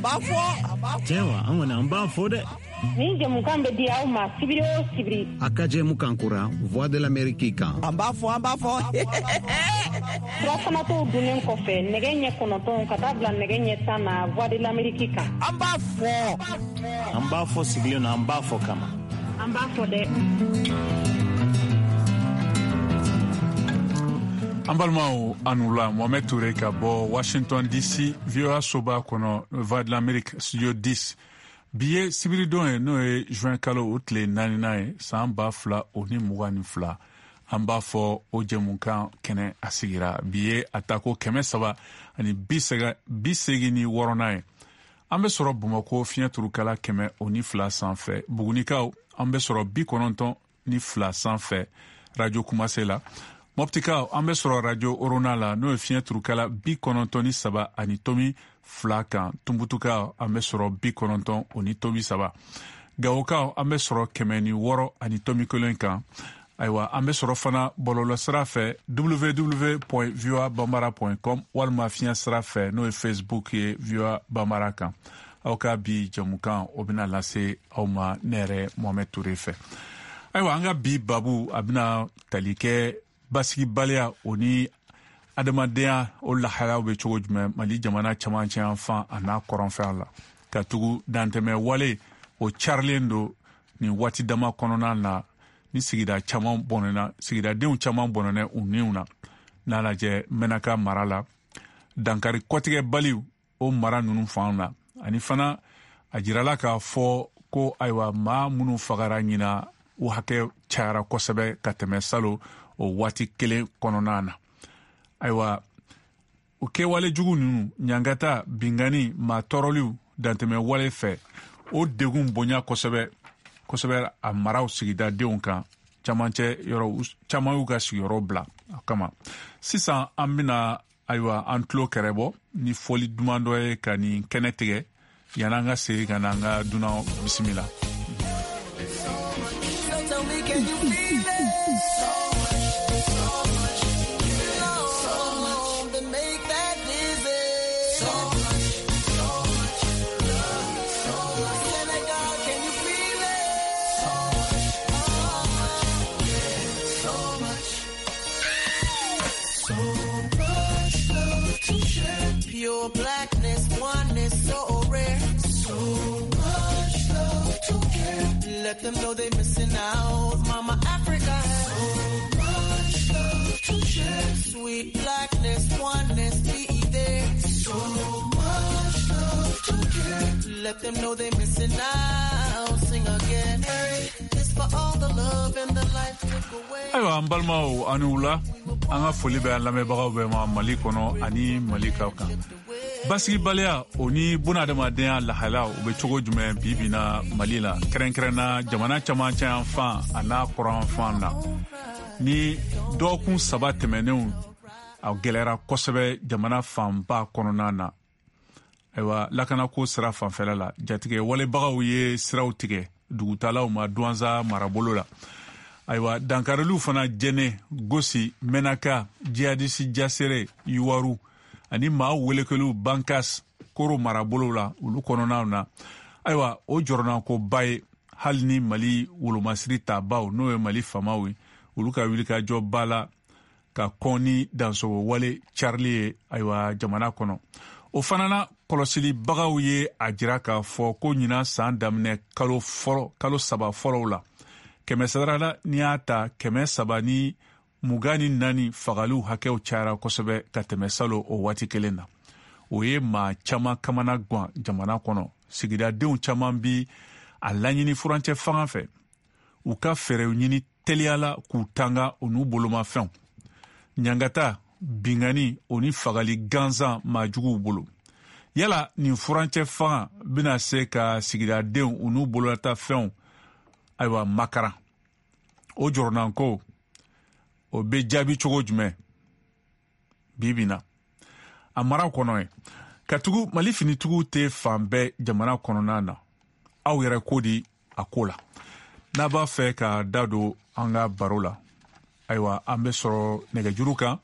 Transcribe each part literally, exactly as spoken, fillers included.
b'a fɔ. Cɛwa, an kɔni an b'a fɔ dɛ. Nin jɛmukan bɛ di aw ma sibiri o sibiri. A ka jɛmukan kura Voix de l'Amérique kan. An b'a fɔ, an b'a fɔ. Surafanatɔw dunnen kɔfɛ nɛgɛ ɲɛ kɔnɔntɔn ka taa bila nɛgɛ ɲɛ tan na Voix de l'Amérique kan. An b'a fɔ. An b'a fɔ sigilen na, an b'a fɔ kama. An b'a fɔ dɛ. An balimaw, anula Mohamed Touré ka bɔ Washington D C, V O A soba kɔnɔ, Voix de l'Amérique studio dix. Bi ye sibiridon ye, n'o ye juin kalo o tile naaninan ye, san ba fila o ni mugan ni fila. An b'a fɔ o jɛmukan kɛnɛ a sigira. Bi ye a tako kɛmɛ saba ani bi seegin ni wɔɔrɔnan ye. An bɛ sɔrɔ Bamakɔ fiɲɛ turukala kɛmɛ o ni fila sanfɛ. Bugunikaw, an bɛ sɔrɔ bi kɔnɔntɔn ni fila sanfɛ Radio Kumase la. Moptikaw, an bɛ sɔrɔ Radio Orona la, n'o ye fiɲɛ turukala bi kɔnɔntɔn ni saba ani tomi fila kan. Tunbutukaw, an bɛ sɔrɔ bi kɔnɔntɔn o ni tomi saba. Gawokaw, an bɛ sɔrɔ kɛmɛ ni wɔɔrɔ ani tomi kelen kan. Ayiwa, an bɛ sɔrɔ fana bɔlɔlɔsira fɛ w w w point voa bambara point com walima fiɲɛ sira fɛ, n'o ye Facebook ye V O A Bambara kan. Aw ka bi jɛmukan o bɛna lase aw ma ne yɛrɛ Mohamed Touré fɛ. Ayiwa, an ka bi babu a bɛna tali kɛ basigibaliya o ni adamadenya o lahalaw bɛ cogo jumɛn Mali jamana camancɛ yan fan a n'a kɔrɔnfɛn la, ka tugu dantɛmɛ wale o carilen don nin waati dama kɔnɔna na, ni sigida caman bɔnɛna, sigidadenw caman bɔnɛna u niw na. N'a lajɛ Mɛnaka mara la, dankari kɔtigɛbaliw o mara ninnu fan na, ani fana a jirala k'a fɔ ko ayiwa maa minnu fagara ɲina o hakɛ cayara kosɛbɛ ka tɛmɛ salo o waati kelen kɔnɔna na. Ayiwa, o kɛwale jugu ninnu, ɲangata, bingani, maa tɔɔrɔliw dantɛmɛ wale fɛ, o degun bonya kosɛbɛ kosɛbɛ a maraw sigidadenw kan. Camancɛ yɔrɔ caman y'u ka sigiyɔrɔ bila a kama. Sisan an bɛna ayiwa an tulo kɛrɛbɔ ni fɔli duman dɔ ye ka nin kɛnɛ tigɛ yan'an ka segin ka na an ka dunan bisimila. Pure blackness, oneness, so rare. So much love to care. Let them know they missing out. Mama Africa has so much love to share. Sweet blackness, oneness, be there. So much love to care. Let them know they missing out. Sing again. Hey, it's for all the love and the life took away. Ayiwa, an balimaw, an ni wula. An ka foli bɛ an lamɛnbagaw bɛɛ ma Mali kɔnɔ ani Mali ka kan. Basigibaliya o ni bunadamadenya lahala o bɛ cogo jumɛn bi bi na Mali la, kɛrɛnkɛrɛnna jamana camancɛ yan fan a n'a kɔrɔn fan na. Ni dɔgɔkun saba tɛmɛnenw a gɛlɛyara kosɛbɛ jamana fanba kɔnɔna na. Ayiwa, lakanako sira fanfɛla la, jatigɛ walebagaw ye siraw tigɛ dugutalaw ma Duwanza marabolo la. Ayiwa, dankariliw fana Jɛnɛ, Gosi, Mɛnaka, Jihadisi Jasere, Yuwaru ani maa welekeliw Bankas, Koro marabolo la, olu kɔnɔnaw na. Ayiwa, o jɔrɔnankoba ye hali ni Mali wolomasiri tabaw, n'o ye Mali faamaw ye, olu ka wulikajɔba la ka kɔn ni dansogo wale carili ye ayiwa jamana kɔnɔ. O fana na kɔlɔsilibagaw ye a jira k'a fɔ ko ɲinan san daminɛ kalo fɔlɔ, kalo saba fɔlɔw la, kɛmɛ sara la n'i y'a ta kɛmɛ saba ni mugan ni naani fagaliw hakɛw cayara kosɛbɛ ka tɛmɛ salo o waati kelen na. O ye maa caman kamana gan jamana kɔnɔ. Sigidadenw caman bi a laɲini furancɛ fanga fɛ u ka fɛɛrɛw ɲini teliya la k'u tanga u n'u bolomafɛnw. Ɲangata, bingani o ni fagali gansan maa juguw bolo. Yala nin furancɛ fanga bɛna se ka sigidadenw u n'u bololatafɛnw ayiwa makaran? O jɔrɔnanko o bɛ jaabi cogo jumɛn bi bi na a mara kɔnɔ ye? Katugu Mali finitigiw tɛ fan bɛɛ jamana kɔnɔna na. Aw yɛrɛ ko di a ko la? N'a b'a fɛ ka da don an ka baro la, ayiwa an bɛ sɔrɔ nɛgɛjuru kan,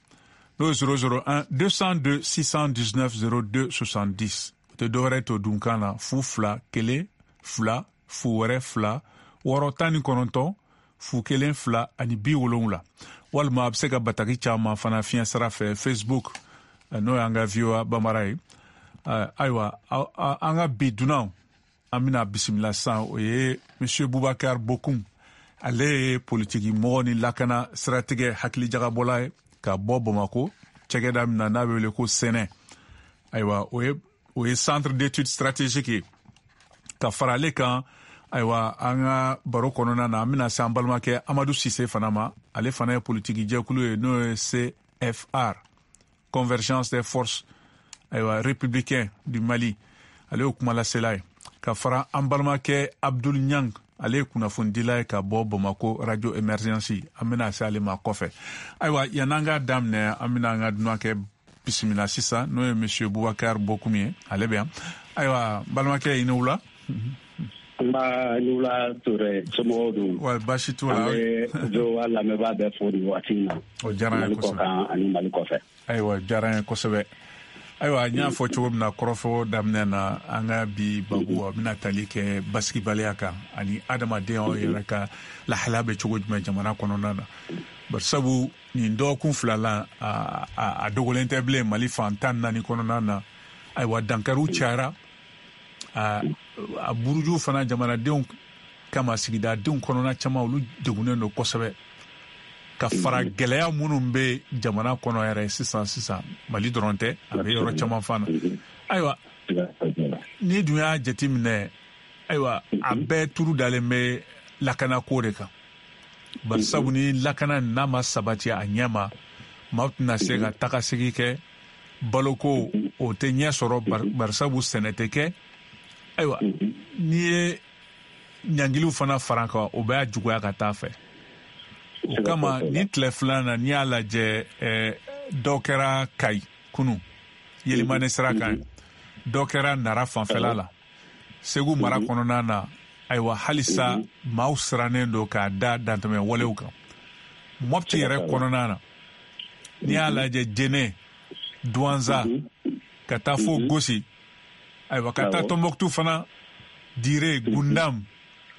n'o ye zéro zéro un deux cent deux six cent dix-neuf zéro deux soixante-dix. tɛ dɔwɛrɛ to dunkan na fu fila kelen fila fu wɛrɛ fila wɔɔrɔ tan ni kɔnɔntɔn fu kelen fila ani bi wolonwula walima a bɛ se ka bataki caman fana fiɲɛ sira fɛ Facebook n'o y'an ka V O A Bambara ye. Ayiwa, an ka bi dunanw an bɛna bisimila sisan, o ye Monsieur Boubacar Bocoum. Ale ye politiki mɔgɔ ni lakana siratigɛ hakilijagabɔla ye ka bɔ Bamako cɛkɛda min na n'a bɛ wele ko Sɛnɛ. Ayiwa, o ye o ye centre d'études stratégiques ye. Ka fara ale kan, ayiwa, an ka baro kɔnɔna na, an bɛna se an balimakɛ Amadu Sise fana ma. Ale fana ye politiki jɛkulu ye n'o ye C F R, Convergence des forces ayiwa républicain du Mali, ale ye kumalasela ye. Ka fara an balimakɛ Abdul Niang, ale ye kunnafonidila ye ka bɔ Bamako Radio Emergence, an bɛna se ale ma kɔfɛ. Ayiwa, yan'an k'a daminɛ, an bɛna an ka dunankɛ bisimila sisan, n'o ye Monsieur Boubacar Bocoum ye, ale bɛ yan. Ayiwa, balimakɛ, i ni wula. Nba, ni wula Ture, somɔgɔw dun? Wa baasi t'u la. An bɛ V O A lamɛnbaa bɛɛ fo nin waati in na. O diyara an ye kosɛbɛ. Mali kɔkan ani Mali kɔfɛ. Ayiwa, o diyara an ye kosɛbɛ. Ayiwa, n y'a fɔ cogo min na kɔrɔfɔ daminɛ na, an ka bi babu a bɛna tali kɛ basigibaliya kan ani adamadenyaw yɛrɛ ka lahalaya bɛ cogo jumɛn jamana kɔnɔna na. Barisabu nin dɔgɔkun fila la, a, a, a dogolen tɛ bilen Mali fan tan ni naani kɔnɔna na. Ayiwa, dankariw cayara, a, a buruju fana jamanadenw kama, sigidadenw kɔnɔna caman olu degunnen don kosɛbɛ. Ka fara gɛlɛya minnu bɛ jamana kɔnɔ yɛrɛ sisan sisan, Mali dɔrɔn tɛ, a bɛ yɔrɔ caman fana. Ayiwa, n'i dun y'a jateminɛ, ayiwa, a bɛɛ turu dalen bɛ lakanako de kan. Barisabu ni lakana n'a ma sabati a ɲɛ ma, maaw tɛna se ka tagasegin kɛ, baloko o tɛ ɲɛ sɔrɔ, barisabu sɛnɛ tɛ kɛ. Ayiwa, n'i ye ɲangiliw fana fara kan, o b'a juguya ka taa fɛ. O kama ni tile filanan na, n'i y'a lajɛ, dɔ kɛra Kayi kunu Yelimane sira kan, dɔ kɛra Nara fanfɛla la, Segu mara kɔnɔna na. Ayiwa, halisa maaw sirannen don k'a da dantɛmɛ walew kan. Mopti yɛrɛ kɔnɔna na, n'i y'a lajɛ, Jene, Duwanza, ka taa fo Gosi, ayiwa, ka taa Tɔnbɔkutu fana, Dire, Gundam,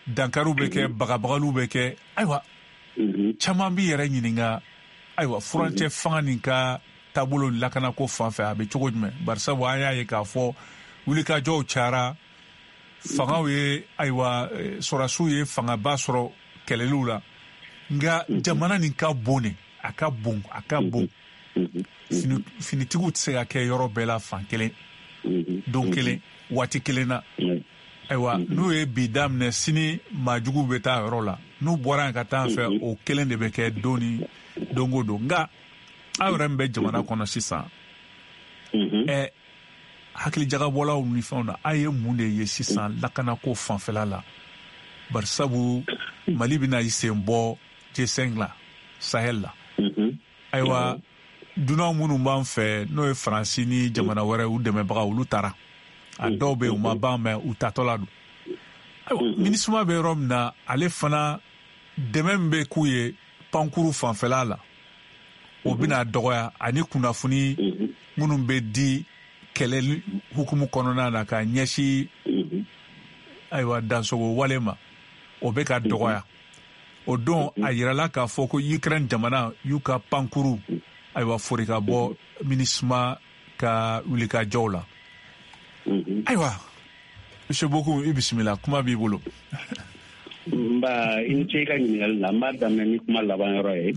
dankariw bɛ kɛ, bagabagaliw bɛ kɛ. Ayiwa, caman b'i yɛrɛ ɲininka, ayiwa, furancɛ fanga nin ka taabolo lakanako fan fɛ, a bɛ cogo jumɛn? Barisabu an y'a ye k'a fɔ wulikajɔw cayara, fangaw ye, ayiwa, sɔrɔdasiw ye fangaba sɔrɔ kɛlɛliw la, nka jamana nin ka bon de, a ka bon, a ka bon. Finitigiw tɛ se ka kɛ yɔrɔ bɛɛ la fan kelen, don kelen, waati kelen na. Ayiwa, n'u ye bi daminɛ, sini maajuguw bɛ taa yɔrɔ la, n'u bɔra yen ka taa fɛ, o kelen de bɛ kɛ don ni don o don. Nka aw yɛrɛ min bɛ jamana kɔnɔ sisan, ɛ hakilijagabɔlaw ni fɛnw na, aw ye mun de ye sisan lakanako fanfɛla la? Barisabu Mali bɛna i sen bɔ G cinq la, Sahel la. Ayiwa, dunan minnu b'an fɛ, n'o ye Faransi ni jamana wɛrɛ u dɛmɛbagaw, olu taara. A dɔw bɛ yen u ma ban, mɛ u tatɔ la don. Ayiwa, MINUSMA bɛ yɔrɔ min na, ale fana dɛmɛ min bɛ k'u ye pankuru fanfɛla la, o bɛna dɔgɔya, ani kunnafoni minnu bɛ di kɛlɛ hukumu kɔnɔna na ka ɲɛsin ayiwa dansogo wale ma, o bɛ ka dɔgɔya. O don a yirala k'a fɔ ko Ukraine jamana y'u ka pankuru ayiwa fori ka bɔ MINUSMA ka wulikajɔw la. Ayiwa, Monsieur Bocoum, i bisimila, kuma b'i bolo. Nba, i ni ce i ka ɲininkali la. N b'a daminɛ ni kuma laban yɔrɔ ye.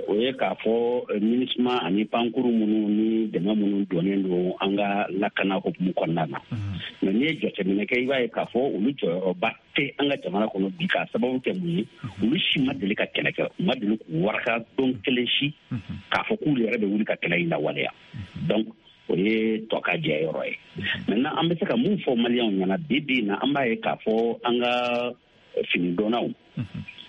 O ye k'a fɔ MINUSMA ani pankuru minnu ni dɛmɛ minnu donnen don an ka lakana hukumu kɔnɔna na. Mɛ n'i ye jateminɛ kɛ, i b'a ye k'a fɔ olu jɔyɔrɔba tɛ an ka jamana kɔnɔ bi, k'a sababu kɛ mun ye, olu si ma deli ka kɛlɛ kɛ, u ma deli k'u waraka don kelen si k'a fɔ k'olu yɛrɛ bɛ wuli ka kɛlɛ in lawaleya. Donc o ye tɔ ka jɛ yɔrɔ ye. Maintenant, an bɛ se ka mun fɔ maliyɛnw ɲɛna bi bi in na, an b'a ye k'a fɔ an ka finidonnaw,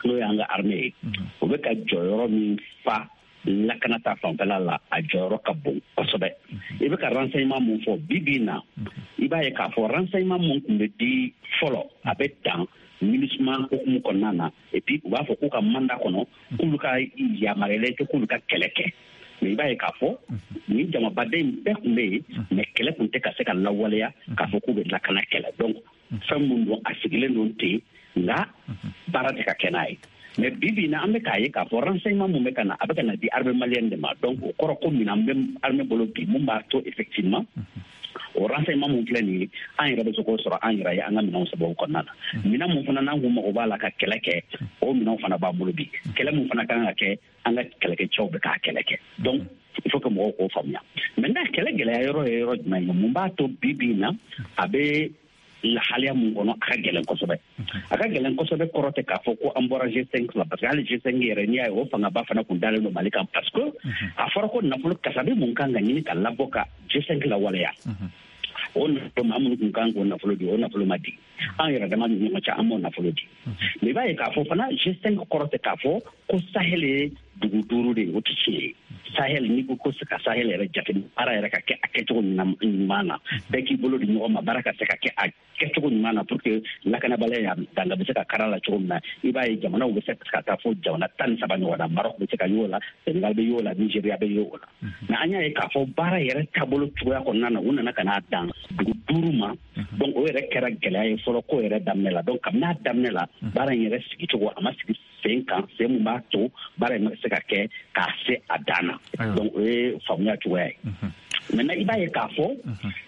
n'o y'an ka armée ye, o bɛ ka jɔyɔrɔ min fa lakana ta fanfɛla la, a jɔyɔrɔ ka bon kosɛbɛ. I bɛ ka renseignement mun fɔ bi bi in na, i b'a ye k'a fɔ renseignement mun tun bɛ di fɔlɔ, a bɛ dan MINUSMA hukumu kɔnɔna na, et puis u b'a fɔ k'u ka mandat kɔnɔ, k'olu ka yamaruyalen tɛ k'olu ka kɛlɛ kɛ. Mais i b'a ye k'a fɔ nin jamabaden in bɛɛ tun bɛ yen, mais kɛlɛ tun tɛ ka se ka lawaleya k'a fɔ k'u bɛ lakana kɛlɛ. Donc fɛn mun don, a sigilen don ten, nka baara tɛ ka kɛ n'a ye. Mais bi bi in na, an bɛ k'a ye k'a fɔ renseignement mun bɛ ka na, a bɛ ka na di armée malienne de ma. Donc o kɔrɔ ko minɛn bɛ armée bolo bi mun b'a to effectivement o renseignement mun filɛ nin ye, an yɛrɛ bɛ se k'o sɔrɔ an yɛrɛ ye an ka minɛnw sababu kɔnɔna na. Minɛn mun fana n'an kun mago b'a la ka kɛlɛ kɛ, o minɛnw fana b'an bolo bi. Kɛlɛ mun fana kan ka kɛ, an ka kɛlɛkɛcɛw bɛ k'a kɛlɛ kɛ. Donc il faut que mɔgɔw k'o faamuya. Maintenant kɛlɛ gɛlɛya yɔrɔ ye yɔrɔ jumɛn ye? Mun b'a to bi bi in na a bɛ lahalaya mun kɔnɔ, a ka gɛlɛn kosɛbɛ? A ka gɛlɛn kosɛbɛ kɔrɔ tɛ k'a fɔ ko an bɔra G cinq la, parce que hali G cinq yɛrɛ, n'i y'a ye, o fangaba fana kun dalen don Mali kan, parce que a fɔra ko nafolo kasabi mun kan ka ɲini ka labɔ ka G cinq lawaleya, o nafolo, maa minnu kun kan k'o nafolo di, o nafolo ma di. An yɛrɛ dama ni ɲɔgɔn cɛ, an m'o nafolo di. Mais i b'a ye k'a fɔ fana, G cinq kɔrɔ tɛ k'a fɔ ko Sahel ye dugu duuru de ye, o tɛ tiɲɛ ye. Sahel, n'i ko ko ka Sahel yɛrɛ jate, baara yɛrɛ ka kɛ a kɛcogo ɲuman na, bɛɛ k'i bolo di ɲɔgɔn ma, baara ka se ka kɛ a kɛcogo ɲuman na pour que lakanabaliya danga bɛ se ka kara la cogo min na, i b'a ye jamanaw bɛ se ka taa fo jamana tan ni saba ɲɔgɔn na. Maroc bɛ se ka y'o la, Sénégal bɛ y'o la, Nigeria bɛ y'o la. Mais an y'a ye k'a fɔ baara yɛrɛ taabolo cogoya kɔnɔna na, u nana ka n'a dan dugu duuru ma. Donc o yɛrɛ kɛra gɛlɛya ye fɔlɔ ko yɛrɛ daminɛ la. Donc kabini a daminɛ la, baara in yɛrɛ sigicogo, a ma sigi sen kan, sen mun b'a to baara in bɛ se ka kɛ k'a se a dan na. Donc o ye faamuya cogoya ye. Maintenant i b'a ye k'a fɔ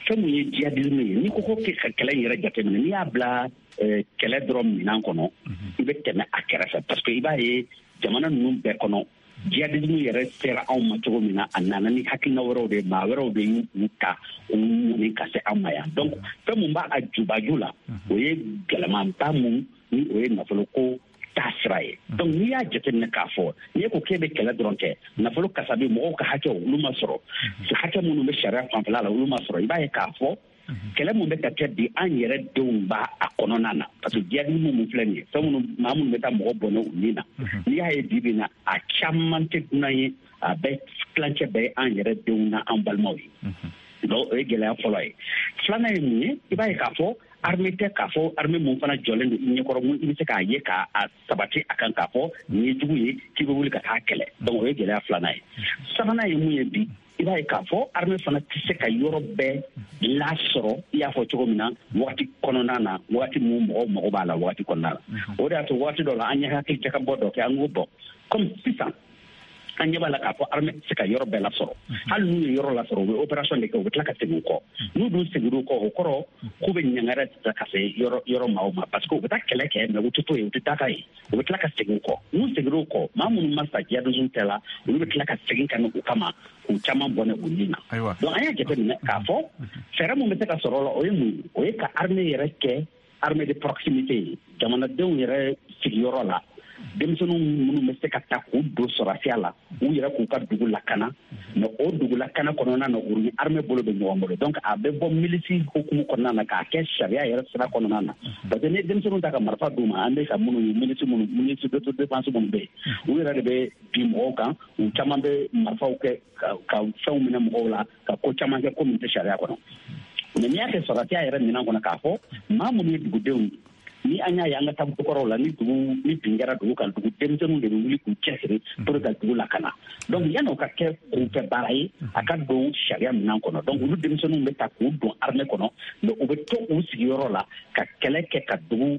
fɛn mun ye djihadisme ye, n'i ko ko ka kɛlɛ in yɛrɛ jateminɛ, n'i y'a bila kɛlɛ dɔrɔn minɛn kɔnɔ, i bɛ tɛmɛ a kɛrɛfɛ, parce que i b'a ye jamana ninnu bɛɛ kɔnɔ, djihadisme yɛrɛ sera anw ma cogo min na, a nana ni hakilina wɛrɛw de ye, maa wɛrɛw de y'u ta k'u ɲini ka se anw ma yan. Donc fɛn mun b'a a jubaju la, o ye gɛlɛmanba mun ni o ye nafolo ko taa sira ye. Donc n'i y'a jateminɛ k'a fɔ n'i ko k'e bɛ kɛlɛ dɔrɔn kɛ, nafolo kasabi, mɔgɔw ka hakɛw olu ma sɔrɔ, hakɛ minnu bɛ sariya fanfɛla la olu ma sɔrɔ, i b'a ye k'a fɔ kɛlɛ mun bɛ ka kɛ bi, an yɛrɛ denw b'a a kɔnɔna na, parce que djihadisme mun filɛ nin ye, fɛn minnu, maa minnu bɛ taa mɔgɔ bɔnɛ u ni na, n'i y'a ye bi bi in na, a caman tɛ dunan ye, a bɛɛ tilancɛ bɛɛ ye an yɛrɛ denw na an balimaw ye. Donc o ye gɛlɛya fɔlɔ ye. Filanan ye mun ye? I b'a ye k'a fɔ armée tɛ k'a fɔ armée mun fana jɔlen don i ɲɛkɔrɔ, mun i bɛ se k'a ye k'a sabati a kan k'a fɔ nin ye jugu ye k'i bɛ wuli ka taa kɛlɛ. Donc o ye gɛlɛya filanan ye. Sabanan ye mun ye bi? I b'a ye k'a fɔ armée fana tɛ se ka yɔrɔ bɛɛ lasɔrɔ, i y'a fɔ cogo min na, waati kɔnɔna na, waati mun mɔgɔw mago b'a la waati kɔnɔna la. O de y'a to waati dɔ la, an ye hakili jakabɔ dɔ kɛ, an ko bɔn, comme sisan an ɲɛ b'a la k'a fɔ armée tɛ se ka yɔrɔ bɛɛ lasɔrɔ, hali n'u ye yɔrɔ lasɔrɔ, u bɛ opération de kɛ, u bɛ tila ka segin u kɔ. N'u dun seginna u kɔ, o kɔrɔ k'u bɛ ɲangara ta ka se yɔrɔ yɔrɔ maaw ma, parce que u bɛ taa kɛlɛ kɛ, mais u tɛ to yen, u tɛ taa ka yen, u bɛ tila ka segin u kɔ. N'u seginna u kɔ, maa minnu ma sa djihadisme tɛ la, olu bɛ tila ka segin ka na u kama k'u caman bɔnɛ u ni na. Donc an y'a jateminɛ k'a fɔ fɛɛrɛ mun bɛ se ka sɔrɔ o la, o ye mun ye? O ye ka armée yɛrɛ kɛ armée de proximité ye, jamanadenw yɛrɛ sigiyɔrɔ la, denmisɛnninw minnu bɛ se ka ta k'u don sɔrɔsiya la, u yɛrɛ k'u ka dugu lakana. Mais o dugu lakana kɔnɔna na, u ni armée bolo bɛ ɲɔgɔn bolo. Donc a bɛ bɔ milisi hukumu kɔnɔna na k'a kɛ sariya yɛrɛ sira kɔnɔna na, parce que ni denmisɛnninw ta ka marifa d'u ma, an bɛ ka minnu ye, milisi minnu, milisi d'autodéfense minnu bɛ yen, u yɛrɛ de bɛ bin mɔgɔw kan, u caman bɛ marifaw kɛ ka fɛnw minɛ mɔgɔw la, ka ko caman kɛ ko min tɛ sariya kɔnɔ. Mais n'i y'a kɛ sɔrɔsiya yɛrɛ minɛn kɔnɔ, k'a fɔ maa minnu ye dugudenw ye, ni an y'a ye an ka taabolo kɔrɔw la, ni dugu ni bin kɛra dugu kan, dugu denmisɛnninw de bɛ wuli k'u cɛsiri pour ka dugu lakana. Donc yanni o ka kɛ kunfɛ baara ye, a ka don sariya minɛn kɔnɔ. Donc olu denmisɛnninw bɛ ta k'u don armée kɔnɔ, mais u bɛ to u sigiyɔrɔ la ka kɛlɛ kɛ ka dugu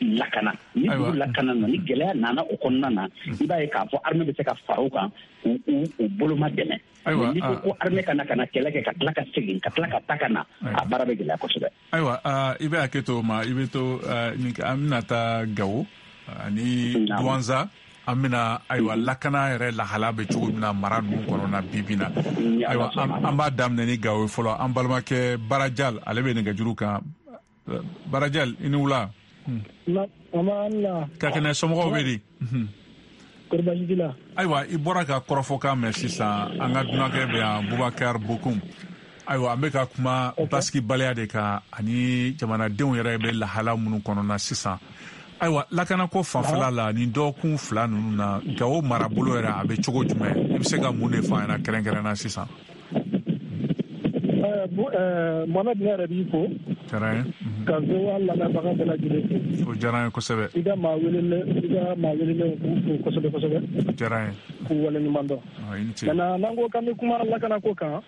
lakana. Ni dugu lakana na, ni gɛlɛya nana o kɔnɔna na, i b'a ye k'a fɔ armée bɛ se ka fara u kan k'u u boloma dɛmɛ. N'i ko ko armée ka na ka na kɛlɛ kɛ ka tila ka segin ka tila ka taa ka na, a baara bɛ gɛlɛya kosɛbɛ. Ayiwa, i bɛ hakɛ to o ma, i bɛ to an bɛna taa Gawo ani Duwanza, an bɛna ayiwa lakana yɛrɛ lahala bɛ cogo min na mara ninnu kɔnɔ na bi bi na. Ayiwa, an b'a daminɛ ni Gawo ye fɔlɔ. An balimakɛ Barajal, ale bɛ nɛgɛjuru kan. Barajal, i ni wula. Ka kɛnɛ, somɔgɔw bɛ di? Ayiwa, i bɔra ka kɔrɔfɔkan mɛn sisan, an ka dunankɛ bɛ yan, Bubakar Bokum. Ayiwa, an bɛ ka kuma basigibaliya de kan ani jamanadenw yɛrɛ bɛ lahala minnu kɔnɔ na sisan. Ayiwa, lakanako fanfɛla la, nin dɔgɔkun fila ninnu na, Gawo marabolo yɛrɛ a bɛ cogo jumɛn? I bɛ se ka mun de fɔ an ɲɛna kɛrɛnkɛrɛnna sisan? Mohamed, ne yɛrɛ b'i fo. Diyara n ye. Ka V O A lamɛnbaga bɛɛ lajɛlen fo. O diyara n ye kosɛbɛ. I ka maa welelen i ka maa welelen k'u fo kosɛbɛ kosɛbɛ. O diyara n ye. K'u waleɲuman dɔn. I ni ce. Maintenant n'an ko k'an bɛ kuma lakanako kan.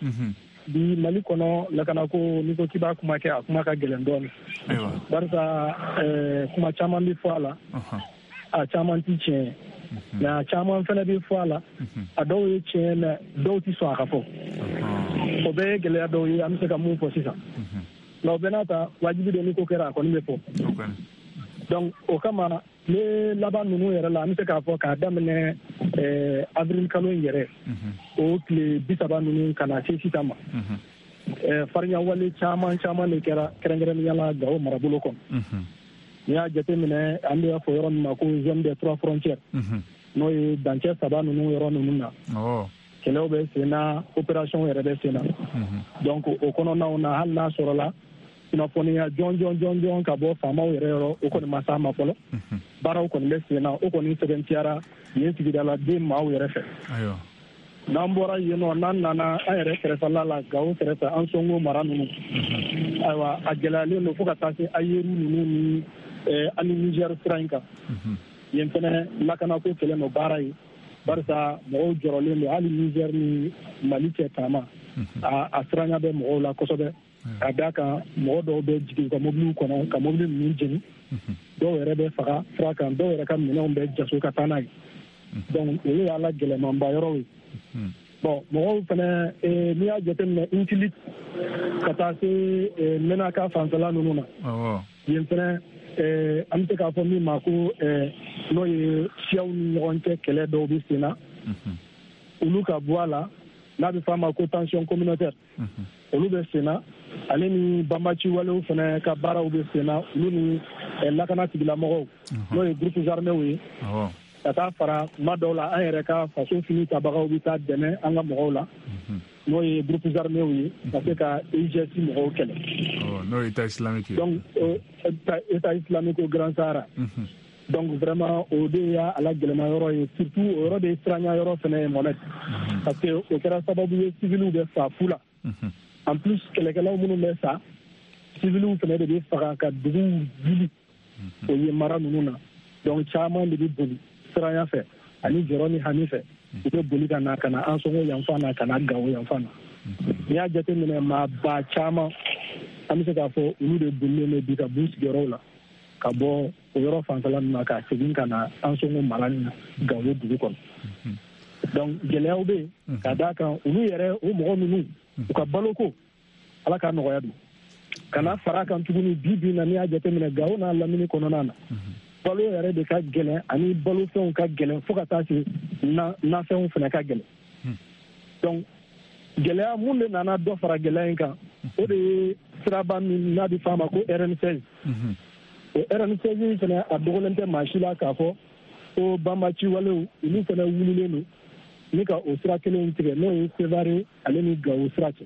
Bi Mali kɔnɔ lakanako n'i ko k'i b'a kuma kɛ a kuma ka gɛlɛn dɔɔnin. Ayiwa. Barisa ɛɛ kuma caman bɛ fɔ a la. A caman ti tiɲɛ ye. Mais a caman fana bɛ fɔ a la. A dɔw ye tiɲɛ mais dɔw ti sɔn a ka fɔ. O bɛɛ ye gɛlɛya dɔw ye an bɛ se ka mun fɔ sisan. Mais o bɛɛ n'a ta wajibi don ni ko kɛra a kɔni bɛ fɔ. Donc o kama tile laban ninnu yɛrɛ la an bɛ se k'a fɔ k'a daminɛ ɛɛ avril kalo in yɛrɛ. O tile bi saba ninnu ka na se sisan ma. Ɛɛ farinyawale caman caman de kɛra kɛrɛnkɛrɛnnenya la Gawo marabolo kɔnɔ. N'i y'a jateminɛ an bɛ fɔ yɔrɔ min ma ko zone des trois frontières. N'o ye dancɛ saba ninnu yɔrɔ ninnu na. Kɛlɛw bɛ sen na opération yɛrɛ bɛ sen na. Donc o kɔnɔnaw na hali n'a sɔrɔla kunnafoniya jɔn jɔn jɔn jɔn ka bɔ faamaw yɛrɛ yɔrɔ o kɔni ma s'a ma fɔlɔ. Baaraw kɔni bɛ sen na o kɔni sɛbɛntiyara yen sigidaladen maaw yɛrɛ fɛ. N'an bɔra yen nɔ n'an nana an yɛrɛ kɛrɛfɛla la Gawo kɛrɛfɛ Ansongo mara ninnu. Ayiwa a gɛlɛyalen don fo ka taa se Ayeru ninnu ni ani Niger sira in kan. Yen fɛnɛ lakanako kɛlen don baara ye. Barisa mɔgɔw jɔrɔlen don hali Niger ni Mali cɛ taama. A a siranya bɛ mɔgɔw la kosɛbɛ. Ka d'a kan mɔgɔ dɔw bɛ jigin u ka mobiliw kɔnɔ ka mobili ninnu jeni. Dɔw yɛrɛ bɛ faga sira kan dɔw yɛrɛ ka minɛnw bɛ jaso ka taa n'a ye. Donc olu y'a la gɛlɛmanba yɔrɔw ye. Bon mɔgɔw fɛnɛ n'i y'a jateminɛ Intilit ka taa se Menaka fanfɛla ninnu na. Yen fɛnɛ an bɛ se k'a fɔ min ma ko n'o ye siyaw ni ɲɔgɔn cɛ kɛlɛ dɔw bɛ sen na. Olu ka bɔ a la n'a bɛ fɔ a ma ko tension communautaire. Olu bɛ sen na ale ni banbaci walew fɛnɛ ka baaraw bɛ sen na olu ni lakana tigilamɔgɔw n'o ye groupes armés ye. Ka taa fara kuma dɔw la an yɛrɛ ka faso fini tabagaw bɛ taa dɛmɛ an ka mɔgɔw la n'o ye groupes armés ye ka se ka I G S mɔgɔw kɛlɛ. N'o ye État islamique ye. Donc État islamique au Grand Sahara. Donc vraiment o de y'a la gɛlɛma yɔrɔ ye surtout o yɔrɔ de ye siranya yɔrɔ fɛnɛ ye Mohamed. Parce que o kɛra sababu ye civiliw bɛ fa fu la. En plus kɛlɛkɛlaw minnu bɛ sa civiliw fɛnɛ de bɛ faga ka duguw wuli o ye mara ninnu na. Donc caman de bɛ boli siranya fɛ ani jɔrɔ ni hami fɛ u bɛ boli ka na ka na Ansongo yanfan na ka na Gawo yanfan na. N'i y'a jateminɛ maa ba caman an bɛ se k'a fɔ olu de bolilen bɛ bi ka b'u sigiyɔrɔw la ka bɔ o yɔrɔ fanfɛla ninnu na ka segin ka na Ansongo mara nin na Gawo dugu kɔnɔ. Donc gɛlɛyaw bɛ yen ka d'a kan olu yɛrɛ o mɔgɔ ninnu u ka baloko Ala k'a nɔgɔya don. Ka na fara kan tuguni bi bi in na n'i y'a jateminɛ Gawo n'a lamini kɔnɔna na. Balo yɛrɛ de ka gɛlɛn ani balofɛnw ka gɛlɛn fo ka taa se nafɛnw fana ka gɛlɛn. Donc gɛlɛya mun de nana dɔ fara gɛlɛya in kan o de ye siraba min n'a bɛ f'a ma ko R N seize. O R N seize in fana a dogolen tɛ maa si la k'a fɔ ko banbaci walew olu fana wulilen don ni ka o sira kelen in tigɛ n'o ye Sevare ale ni Gawo sira cɛ.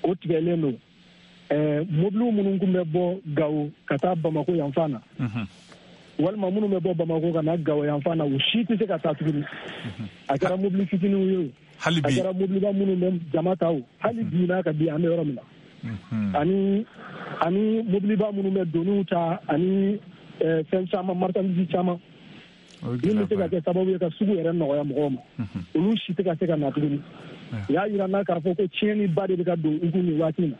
O tigɛlen don. Ɛɛ mobiliw minnu tun bɛ bɔ Gawo ka taa Bamako yanfan na. Walima minnu bɛ bɔ Bamako ka na Gawo yanfan na u si tɛ se ka taa tuguni. A kɛra mobili fitininw ye o. Hali bi. A kɛra mobiliba minnu bɛ jama ta o. Hali bi n'a ka bi an bɛ yɔrɔ min na. Ani ani mobiliba minnu bɛ doniw ta ani fɛn caman marchandise caman. Min bɛ se ka kɛ sababu ye ka sugu yɛrɛ nɔgɔya mɔgɔw ma. Olu si tɛ ka se ka na tuguni. U y'a jira n na k'a fɔ ko tiɲɛniba de bɛ ka don u kun nin waati in na.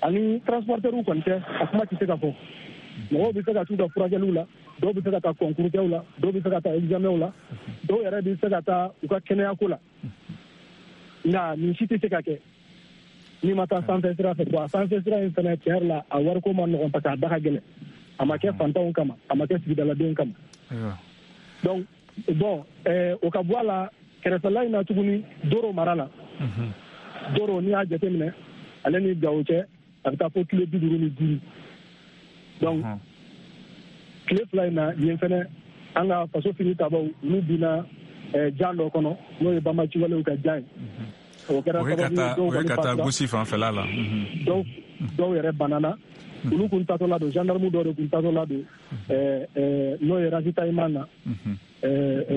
Ani transporteurs kɔni tɛ a kuma tɛ se ka fɔ. Mɔgɔw bɛ se ka t'u ka furakɛliw la dɔw bɛ se ka taa concours kɛw la dɔw bɛ se ka taa examenw la dɔw yɛrɛ bɛ se ka taa u ka kɛnɛyako la. Nka nin si tɛ se ka kɛ n'i ma taa sanfɛ sira fɛ. Bon a sanfɛ sira in fana tiɲɛ yɛrɛ la a wariko ma nɔgɔn parce que a da ka gɛlɛn. A ma kɛ fantanw kama a ma kɛ sigidaladenw kama. Donc bon ɛɛ o ka bɔ a la kɛrɛfɛla in na tuguni Doro mara la. Doro n'i y'a jateminɛ ale ni Gawo cɛ a bɛ taa fo kilo bi duuru ni duuru. Donc tile fila in na yen fɛnɛ an ka faso fini tabaw olu binna jan dɔ kɔnɔ n'o ye banbaci walew ka jan ye. O kɛra sababu ye dɔw kɔni ka taa gosi fanfɛla la. Dɔw dɔw yɛrɛ banana. Olu kun tatɔ la don gendarme dɔw de kun tatɔ la don n'o ye ravitaillement na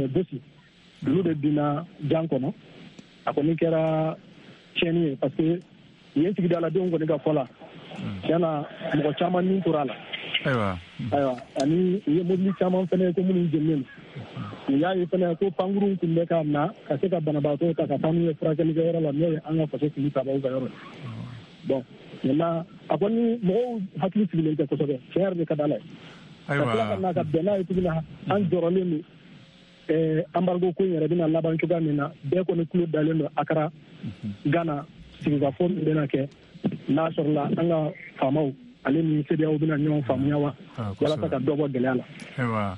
gosi. Olu de binna jan kɔnɔ. A kɔni kɛra tiɲɛni ye parce que yen sigidaladenw kɔni ka fɔ la Tiɲɛ na mɔgɔ caman ni tora a la. Ayiwa. Ayiwa ani u ye mobili caman fɛnɛ ko minnu jeninen don. U y'a ye fɛnɛ ko pankurun tun bɛ ka na ka se ka banabaatɔ ta ka taa n'u ye furakɛlikɛyɔrɔ la n'o ye an ka faso fili tabaw ka yɔrɔ ye. Bon maintenant a kɔni mɔgɔw hakili sigilen tɛ kosɛbɛ, tiɲɛ yɛrɛ de ka d'Ala ye. Ayiwa. Ka tila ka na ka bɛn n'a ye tuguni an jɔrɔlen don. Eh, embargo ko in yɛrɛ bɛna laban cogoya min na, bɛɛ kɔni tulo dalen don Accra Ghana sigikafɔ min bɛna kɛ n'a sɔrɔla an ka faamaw ale ni CEDEAO bɛna ɲɔgɔn faamuya wa walasa ka dɔ bɔ gɛlɛya la. Ayiwa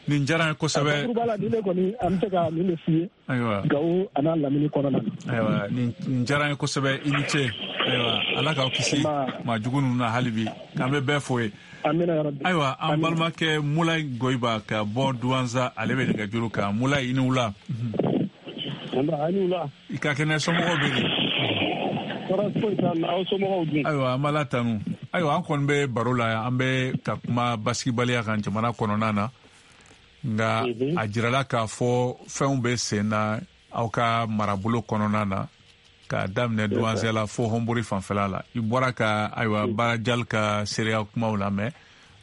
nin diyara n ye kosɛbɛ. Bakuruba la nin de kɔni an bɛ se ka nin de f'i ye. Ayiwa Gawo a n'a lamini kɔnɔna na. Ayiwa nin diyara n ye kosɛbɛ, i ni ce. Ayiwa Ala k'aw kisi maa jugu ninnu na hali bi, k'an bɛ bɛɛ fo ye. Ayiwa an balimakɛ Mulayi Goyiba ka bɔ Duwanza, ale bɛ nɛgɛjuru kan. Mulayi, i ni wula. Nba, i ni wula. I ka kɛnɛ, somɔgɔw bɛ di? Tɔɔrɔ foyi t'an na, aw somɔgɔw dun? Ayiwa an b'Ala tanu. Ayiwa an kɔni bɛ baro la yan, an bɛ ka kuma basigibaliya kan jamana kɔnɔna na. Nka a jirala k'a fɔ fɛnw bɛ sen na aw ka marabolo kɔnɔna na, k'a daminɛ Duwanza la fo Hɔnbori fanfɛla la. I bɔra ka ayiwa Baarajali ka seereya kumaw lamɛn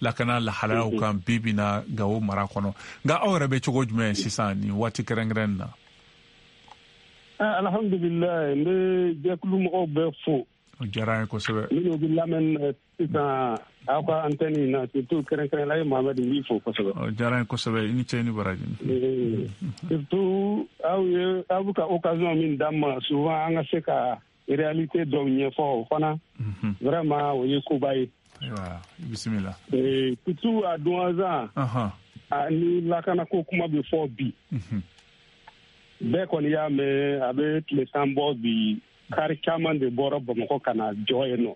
lakana lahalayaw kan bi bi na Gawo mara kɔnɔ. Nka aw yɛrɛ bɛ cogo jumɛn sisan nin waati kɛrɛnkɛrɛn na? Alhamdulilayi, n bɛ jɛkulu mɔgɔw bɛɛ fo. O diyara an ye kosɛbɛ. Minnu bɛ lamɛn sisan aw ka antenne in na, surtout kɛrɛnkɛrɛn la ye Mohamed, n b'i fo kosɛbɛ. O diyara an ye kosɛbɛ, i ni ce, i ni baraji. Surtout aw ye aw bɛ ka occasion min d'an ma souvent an ka se ka réalité dɔw ɲɛfɔ, o fana vraiment o ye koba ye. Ayiwa bisimila. Surtout à Douentza, ni lakanako kuma bɛ fɔ bi. Bɛɛ kɔni y'a mɛn a bɛ tile tan bɔ bi, kari caman de bɔra Bamakɔ ka na jɔ yen nɔ.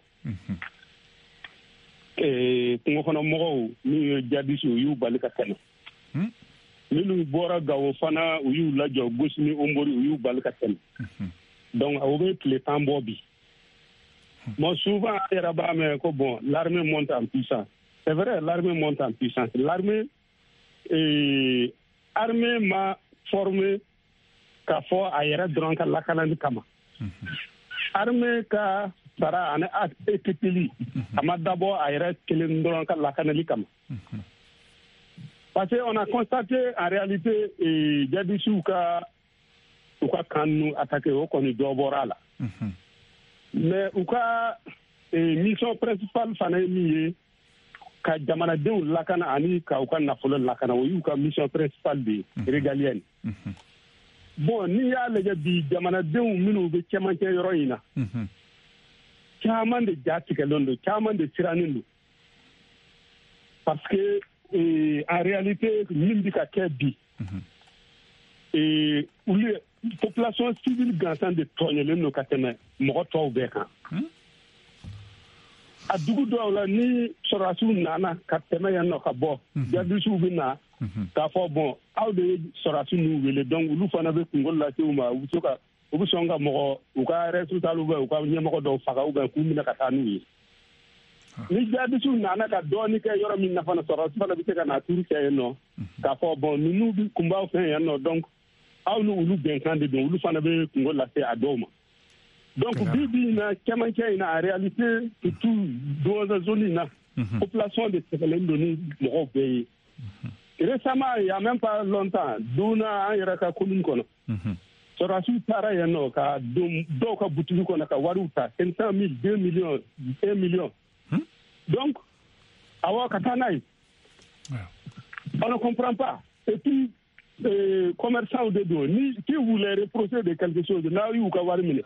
Kungo kɔnɔ mɔgɔw minnu ye jadisiw, u y'u bali ka tɛmɛ. Minnu bɔra Gawo fana, u y'u lajɔ Gosi ni Honbori, u y'u bali ka tɛmɛ. Donc o bɛ tile tan bɔ bi. Bon souvent an yɛrɛ b'a mɛn ko bon l'armée monte en puissance. C'est vrai, l'armée monte en puissance. L'armée eh, armée ma formé k'a fɔ a yɛrɛ dɔrɔn ka lakanani kama. Armée ka sara ani équipeli a ma dabɔ a yɛrɛ kelen dɔrɔn ka lakanali kama. Parce que on a constaté en réalité jadisiw ka u ka kan ninnu attaqué, o kɔni dɔ bɔra a la. Mais u ka mission principale fana ye min ye, ka jamanadenw lakana ani ka u ka nafolo lakana, o y'u ka mission principale de ye, régalienne. Bon n'i y'a lajɛ bi, jamanadenw minnu bɛ cɛmancɛ yɔrɔ in na, caman de ja tigɛlen don, caman de sirannen don. Parce que eh, en réalité min bɛ ka kɛ bi, eh, olu population civile gansan de tɔɲɔlen don ka tɛmɛ mɔgɔ tɔw bɛɛ kan. A dugu dɔw la ni sɔrɔdasiw nana ka tɛmɛ yan nɔ ka bɔ, jadisiw bɛ na k'a fɔ bon aw de ye sɔrɔdasi ninnu wele, donc olu fana bɛ kungo lase u ma, u bɛ se ka u bɛ sɔn ka mɔgɔ u ka responsable ou bien u ka ɲɛmɔgɔ dɔw faga ou bien k'u minɛ ka taa n'u ye. Ni jadisiw nana ka dɔɔni kɛ yɔrɔ min na fana, sɔrɔdasi fana bɛ se ka na turu kɛ yen nɔ k'a fɔ bon ninnu bɛ kun b'aw fɛ yan nɔ, donc aw ni olu bɛnkan de don, olu fana bɛ kungo lase a dɔw ma. Donc bi bi in na cɛmancɛ in na, en réalité surtout Douentza zone in na, population de sɛgɛnnen don ni mɔgɔw bɛɛ ye. Récemment, il y a même pas longtemps, donna an yɛrɛ ka commune kɔnɔ, sɔrɔdasiw taara yen nɔ ka don dɔw ka butigi kɔnɔ ka wariw ta, cinq cent mille, deux millions, un million. Donc awɔ ka taa n'a ye. On ne comprend pas. Et puis euh, commerçants de don, ni si vous les reprochez de quelque chose, n'aw y'u ka wari minɛ,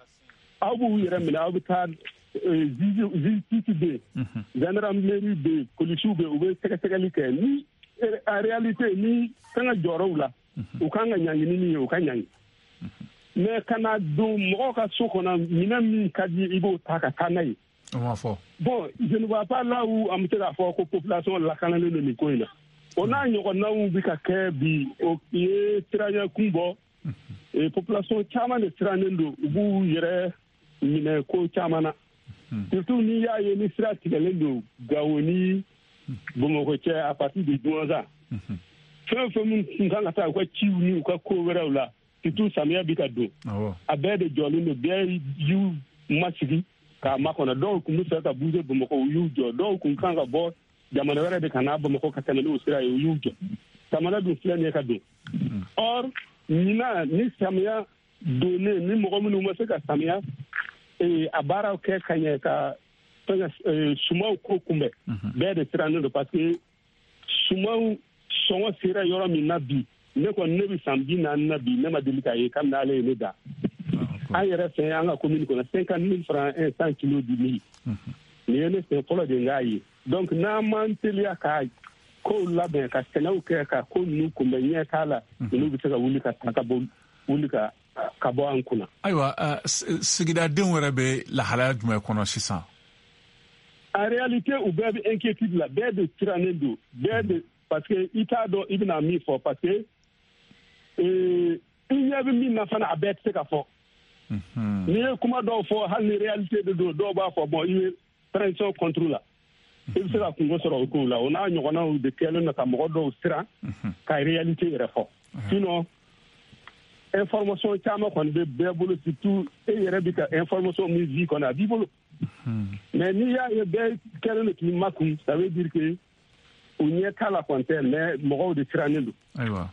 aw b'u yɛrɛ minɛ, aw bɛ taa justice bɛ yen, gendarmerie bɛ yen, polisiw bɛ yen, u bɛ sɛgɛsɛgɛli kɛ. Ni en réalité ni kan ka jɔyɔrɔw la, u kan ka ɲangi ni min ye, u ka ɲangi. Mais ka na don mɔgɔw ka so kɔnɔ, minɛn min ka di i b'o ta ka taa n'a ye. Bon je ne vois pas là où an bɛ se k'a fɔ ko population lakanalen don nin ko in na. O n'a ɲɔgɔnnaw bɛ ka kɛ bi, o ye siranya kun bɔ. Population caman de sirannen don, u b'u yɛrɛ minɛ ko caman na. Surtout n'i y'a ye ni sira tigɛlen don Gawo ni Bamakɔ cɛ à partir de Douentza, fɛn o fɛn min tun kan ka taa u ka ciw ni u ka ko wɛrɛw la, surtout samiya bɛ ka don, a bɛɛ de jɔlen don, bɛɛ y'u masigi. k'a makɔnɔ. Dɔw tun bɛ fɛ ka bouger Bamakɔ, u y'u jɔ. Dɔw tun kan ka bɔ jamana wɛrɛ de ka na Bamakɔ ka tɛmɛ n'o sira ye, u y'u jɔ. Samara dun filɛ nin ye ka don. Or ɲinan ni samiya donnen, ni mɔgɔ minnu ma se ka samiya a baaraw kɛ ka ɲɛ ka fɛngɛ sumanw ko kunbɛn, bɛɛ de sirannen don, parce que sumanw sɔngɔ sera yɔrɔ min na bi, ne kɔni ne bɛ san bi naani na bi, ne ma deli k'a ye kabini ale ye ne da. An yɛrɛ fɛ an ka commune kɔnɔ cinquante mille francs un cent kilos du mil. Nin ye ne sen fɔlɔ de n k'a ye. Donc n'an m'an teliya ka kow labɛn ka sɛnɛw kɛ ka ko ninnu kunbɛn, ɲɛ t'a la, ninnu bɛ se ka wuli ka ta ka bɔ wuli ka ka bɔ an kunna. Ayiwa, sigidadenw yɛrɛ bɛ lahalaya jumɛn kɔnɔ sisan? En réalité, u bɛɛ bɛ inquiétude la, bɛɛ de sirannen don, bɛɛ de, parce que i t'a dɔn i bɛna min fɔ, parce que i ɲɛ bɛ min na fana, a bɛɛ tɛ se ka fɔ. N'i ye kuma dɔw fɔ, hali ni réalité de don, dɔw b'a fɔ bon i bɛ transition contre la, i bɛ se ka kungo sɔrɔ o kow la. O n'a ɲɔgɔnnaw de kɛlen don ka mɔgɔ dɔw siran ka réalité yɛrɛ fɔ. Sinon information caman kɔni bɛ bɛɛ bolo, surtout e yɛrɛ bɛ ka information min di kɔni a b'i bolo. Mais n'i y'a ye bɛɛ kɛlen don k'i makun, ça veut dire que u ɲɛ t'a la kɔni tɛ, mais mɔgɔw de sirannen don. Ayiwa,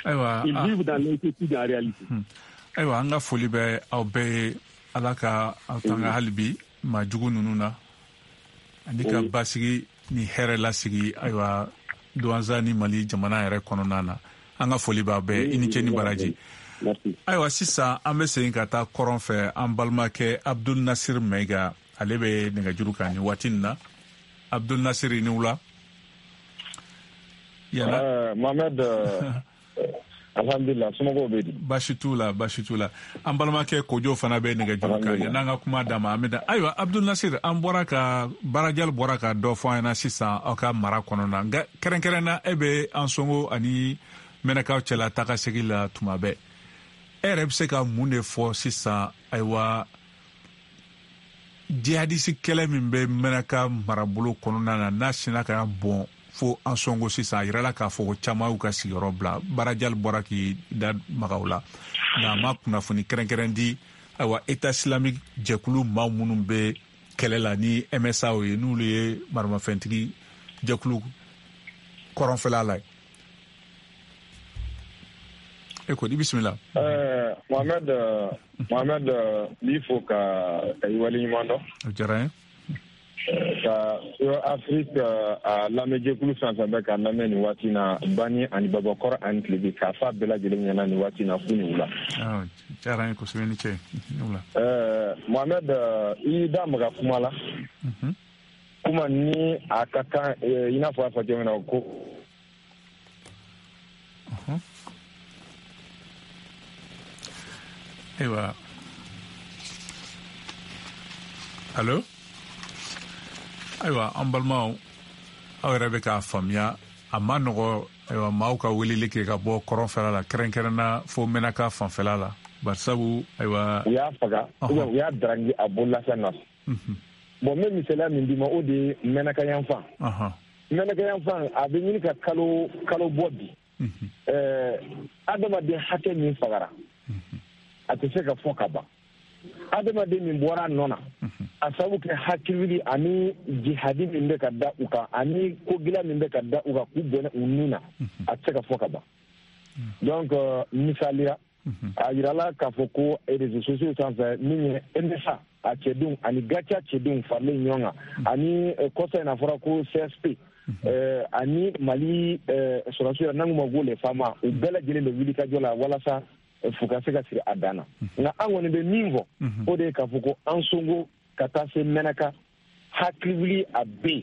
ayiwa, ils vivent dans l'inquiétude en réalité. Ayiwa, an ka foli bɛ aw bɛɛ ye. Ala ka aw tanga hali bi maa jugu ninnu na, ani ka basigi ni hɛrɛ lasigi ayiwa Douentza ni Mali jamana yɛrɛ kɔnɔna na. An ka foli b'aw bɛɛ, i ni ce ni baraji. Ayiwa, sisan an bɛ segin ka taa kɔrɔn fɛ, an balimakɛ Abdul Nasir Maiga, ale bɛ nɛgɛjuru kan nin waati in na. Abdul Nasir, i ni wula. Yala Mohamed, alhamdulillah, somɔgɔw bɛ di? Baasi t'u la, baasi t'u la. An balimakɛ Kojo fana bɛ nɛgɛjuru kan, yan'an ka kuma d'a ma an bɛ da. Ayiwa Abdul Nasir, an bɔra ka Barajali bɔra ka dɔ fɔ an ɲɛna sisan aw ka mara kɔnɔna, nka kɛrɛnkɛrɛnna e bɛ Ansongo ani Mɛnɛkaw cɛla taga segin la tuma bɛɛ. E yɛrɛ bɛ se ka mun de fɔ sisan ayiwa jihadisi kɛlɛ min bɛ Mɛnɛka marabolo kɔnɔna na, n'a sinna ka bɔn fo Ansongo sisan, a yirala k'a fɔ ko caman y'u ka sigiyɔrɔ bila. Barajali bɔra k'i da maga o la, nka a ma kunnafoni kɛrɛnkɛrɛn di ayiwa État islamique jɛkulu maa minnu bɛ kɛlɛ la ni M S A ye, n'olu ye maramafɛntigi jɛkulu kɔrɔnfɛla la ye. E ko i bisimila. Ɛɛ Mohamed, Mohamed, n b'i fo ka ka i waleɲuman dɔn. O diyara n ye. Ka Afrique a lamɛnjɛkulu fɛn fɛn bɛ k'a lamɛn nin waati na, Bani ani Babakɔrɔ ani Tilebi, k'a f'a bɛɛ lajɛlen ɲɛna nin waati na k'u ni wula. Diyara n ye kosɛbɛ, ni ce. Ɛɛ Mohamed, i da maga kuma la. Kuma ni a ka kan i n'a fɔ a fɔ cogo min na ko. Ayiwa, allo. Ayiwa an balimaw, aw yɛrɛ bɛ k'a faamuya a ma nɔgɔ ayiwa maaw ka weleli kɛ ka bɔ kɔrɔnfɛla la, kɛrɛnkɛrɛnna fo Mɛnaka fanfɛla la, barisabu ayiwa u y'a faga u y'a darangi a bololafɛn nɔfɛ. Bon, n bɛ misaliya min d'i ma, o de ye Mɛnaka yanfan. Mɛnaka yanfan a bɛ ɲini ka kalo kalo bɔ bi. Ɛɛ adamaden hakɛ min fagara, a tɛ se ka fɔ ka ban. Adamaden min bɔra a nɔ na, a sababu kɛ hakili ani jihadi min bɛ ka da u kan, ani ko gɛlɛn min bɛ ka da u kan k'u bɔnɛ u nun na, a tɛ se ka fɔ ka ban. Donc misaliya, a yirala k'a fɔ ko réseaux sociaux sanfɛ min ye M S A a cɛdenw ani Gatia cɛdenw faralen ɲɔgɔn kan, ani kɔsa in na fɔra ko C S P ani Mali sɔrɔdasiw yɛrɛ n'an k'u ma ko les FAMa, u bɛɛ lajɛlen bɛ wuli ka jɔ la walasa fo ka se ka siri a dan na. Nka an kɔni bɛ min fɔ, o de ye k'a fɔ ko Ansongo ka taa se Mɛnaka, hakili wuli a bɛ yen,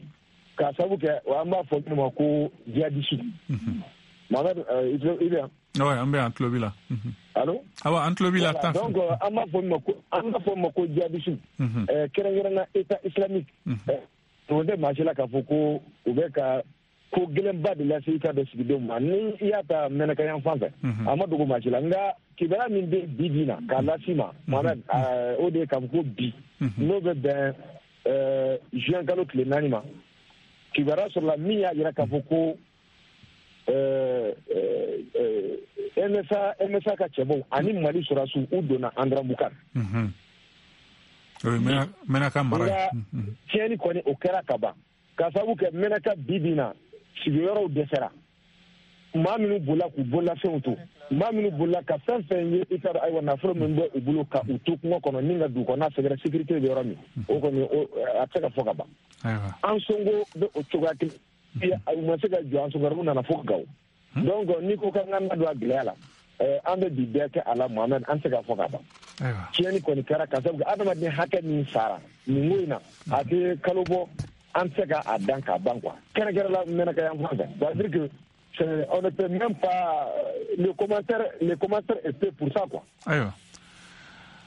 k'a sababu kɛ an b'a fɔ min ma ko jihadisi. Mohamed, i bɛ yan? Oui, an bɛ yan, an tulo b'i la. Allo? Awa, an tulo b'i la. Donc an b'a fɔ min ma ko an b'a fɔ min ma ko jihadisi, kɛrɛnkɛrɛnnenya État islamique. O tɛ maa si la k'a fɔ ko u bɛ ka ko gɛlɛnba de lase i ka dɔ sigidenw ma. Ni i y'a ta Mɛnaka yan fan fɛ, a ma dogo maa si la. Nka kibaruya min bɛ bi bi na k'a las'i ma Mohamed, o de ye k'a fɔ ko bi n'o bɛ bɛn juin kalo tile naani ma, kibaruya sɔrɔla min y'a jira k'a fɔ ko M S A M S A ka cɛbɔw ani Mali sɔrɔdasiw u donna Andrambukan. Menaka mara. Nka tiɲɛni kɔni o kɛra ka ban k'a sababu kɛ Menaka bi bi in na sigiyɔrɔw dɛsɛra, maa minnu bolila k'u bololafɛnw to, maa minnu bolila ka fɛn fɛn ye i ka ayiwa nafolo min bɛ u bolo ka u to kungo kɔnɔ ni ka dugu kɔnɔna sɛgɛrɛ sécurité bɛ yɔrɔ min, o kɔni a tɛ se ka fɔ ka ban. Ansongo bɛ o cogoya kelen, u ma se ka jɔ Ansongo, u nana fo Gawo. Donc n'i ko k'an ka na don a gɛlɛya la, an bɛ bi bɛɛ kɛ a la Mohamed, an tɛ se ka fɔ ka ban. Tiɲɛni kɔni kɛra ka sababu kɛ adamaden hakɛ min sara nin ko in na, a tɛ kalo bɔ, an tɛ se ka a dan k'a ban quoi. Kɛrɛnkɛrɛn la Menaka yan fan fɛ, c'est-à-dire que on ne peut même pas le commentaire, le commentaire est fait pour ça quoi. Ayiwa,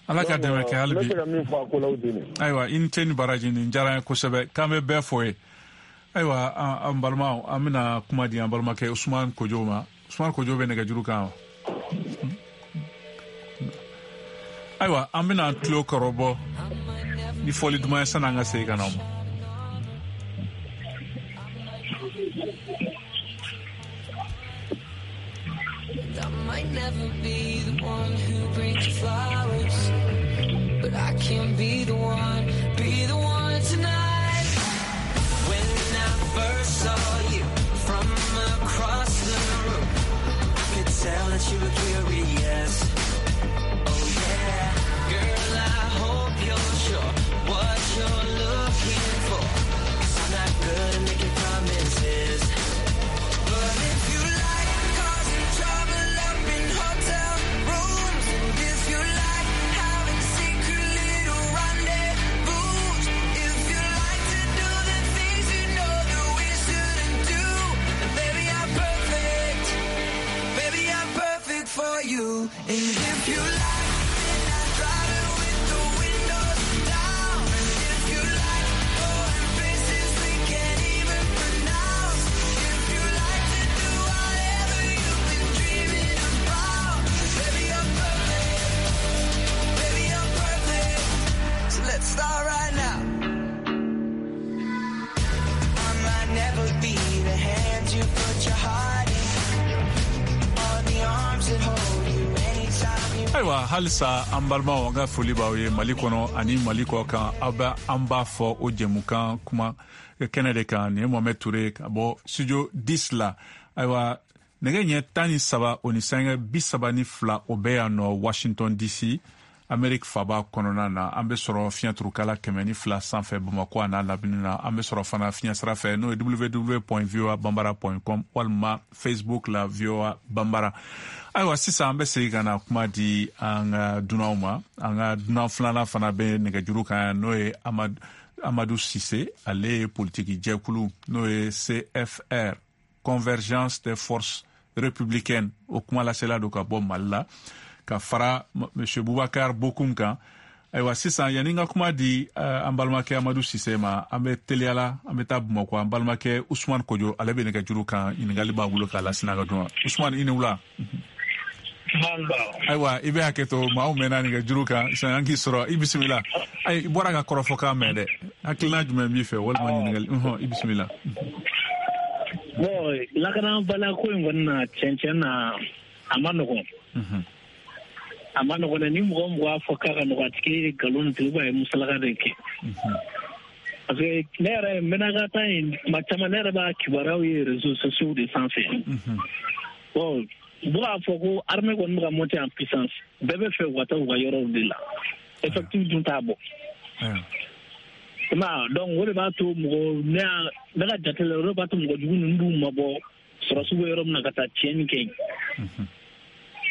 Ala ka dɛmɛ kɛ hali bi. Ne bɛ se ka min fɔ a ko la o de ye. Ayiwa, i ni ce ni baraji, nin diyara n ye kosɛbɛ, k'an bɛ bɛɛ fo ye. Ayiwa, an balimaw, an bɛna kuma di an balimakɛ Usumani Kojo ma. Usumani Kojo bɛ nɛgɛjuru kan wa? Ayiwa, an bɛna an tulo kɔrɔbɔ ni fɔli duman ye sanni an ka segin ka na o ma. I might never be the one who brings you flowers, but I can be the one, be the one tonight. When I first saw you from across the room, I could tell that you were curious. Oh yeah, girl, I hope you're sure what you're looking for, 'cause I'm not good at making promises. But if you like causing trouble up in hotel rooms, and if you like having secret little rendezvous, if you like to do the things you know that we shouldn't do, then baby I'm perfect, baby I'm perfect for you. And if you like midnight driving with the windows down, and if you like going places we can't even pronounce, if you like to do whatever you've been dreaming about, baby I'm perfect, baby I'm perfect. So let's start right now. I might never be the hand you put your heart in, or the arms that hold you anytime you. Ayiwa, halisa an balimaw, an ka foli b'aw ye Mali kɔnɔ ani Mali kɔ kan. Aw bɛ an b'a fɔ o jɛmukan kuma kɛnɛ de kan. Nin ye Mohamed Toure ka bɔ studio dix la. Ayiwa, nɛgɛ ɲɛ tan ni saba o ni sanga bi saba ni fila o bɛ yan nɔ Washington D C, Amérique faba kɔnɔna na. An bɛ sɔrɔ fiɲɛturukala kɛmɛ ni fila sanfɛ Bamakɔ a n'a lamini na. An bɛ sɔrɔ fana fiɲɛ sira fɛ, n'o ye w w w point voa bambara point com walima Facebook la V O A Bambara. Ayiwa, sisan an bɛ segin ka na kuma di an ka dunanw ma. An ka dunan filanan fana bɛ nɛgɛjuru kan, n'o ye Amadu Amadu Sise. Ale ye politiki jɛkulu n'o ye C F R, Convergence des Forces Républicaines, o kuma lasela don ka bɔ Mali la, ka fara Monsieur Boubacar Bokoum kan. Ayiwa, sisan yanni n ka kuma di uh, an balimakɛ Amadu Sise ma, an bɛ teliya la, an bɛ taa Bamakɔ. An balimakɛ Usumani Kojo, ale bɛ nɛgɛjuru kan, ɲininkali b'a bolo k'a lase n'a ka dun. Usumani, i ni wula. Ayiwa, i bɛ hakɛ to, maaw mɛnna nɛgɛjuru kan sisan, an k'i sɔrɔ. I bisimila. Ayi, i bɔra ka kɔrɔfɔkan mɛn dɛ, hakilina jumɛn b'i fɛ walima ɲininkali? Unhɔn, i bisimila. Bon, lakanabaliya ko in kɔni na, tiɲɛ tiɲɛ na, a ma nɔgɔn. A ma nɔgɔn dɛ, ni mɔgɔ mɔgɔ y'a fɔ k'a ka nɔgɔn, a tigi ye nkalon tigɛ ou bien a ye musalaka de kɛ. Parce que ne yɛrɛ Menaka ta in, tuma caman ne yɛrɛ b'a kibaruyaw ye réseaux sociaux de sanfɛ. Bon, u bɛ k'a fɔ ko armée kɔni bɛ ka monter en puissance, bɛɛ bɛ fɛ u ka taa u ka yɔrɔw de la, effectif dun t'a bɔ. I m'a ye, donc o de b'a to mɔgɔ ne y'a ne ka jate la, o de b'a to mɔgɔ jugu ninnu b'u mabɔ sɔrɔsiw bɛ yɔrɔ min na ka taa tiɲɛni kɛ yen.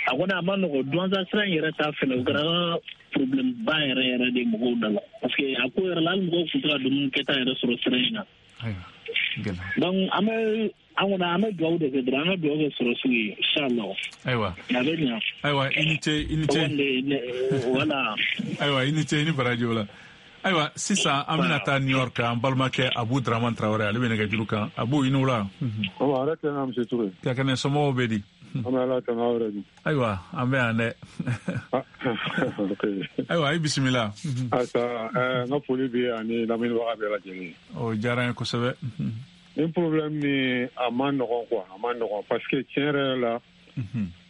A kɔni a ma nɔgɔn, duwanza sira in yɛrɛ ta fɛnɛ, o kɛra problème ba yɛrɛ yɛrɛ de mɔgɔw da la, parce que a ko yɛrɛ la, hali mɔgɔw tun tɛ ka dumuni kɛta yɛrɛ sɔrɔ sira in na. Donc an bɛ an kɔni an bɛ dugawu de kɛ dɔrɔn, an ka dugawu kɛ sɔrɔsiw ye inchallah. Ayiwa, a bɛ ɲa. Ayiwa, i ni ce, i ni ce. Voilà. Ayiwa, i ni ce, i ni baraji o la. Ayiwa, sisan an bɛna taa New York, an balimakɛ Abu Dramane Traoré, ale bɛ nɛgɛjuru kan. Abu, i ni wula. Ɔ, a yɛrɛ tɛ na Monsieur Toure. Ka kɛnɛ, somɔgɔw bɛ di? An bɛ Ala tanu, aw yɛrɛ dun? Ayiwa, an bɛ yan dɛ. Ayiwa, i bisimila. Asa, n ka foli bɛ ani lamɛnnibaga bɛɛ lajɛlen. O diyara n ye kosɛbɛ. Nin problème ni a ma nɔgɔn quoi, a ma nɔgɔn parce que tiɲɛ yɛrɛ la,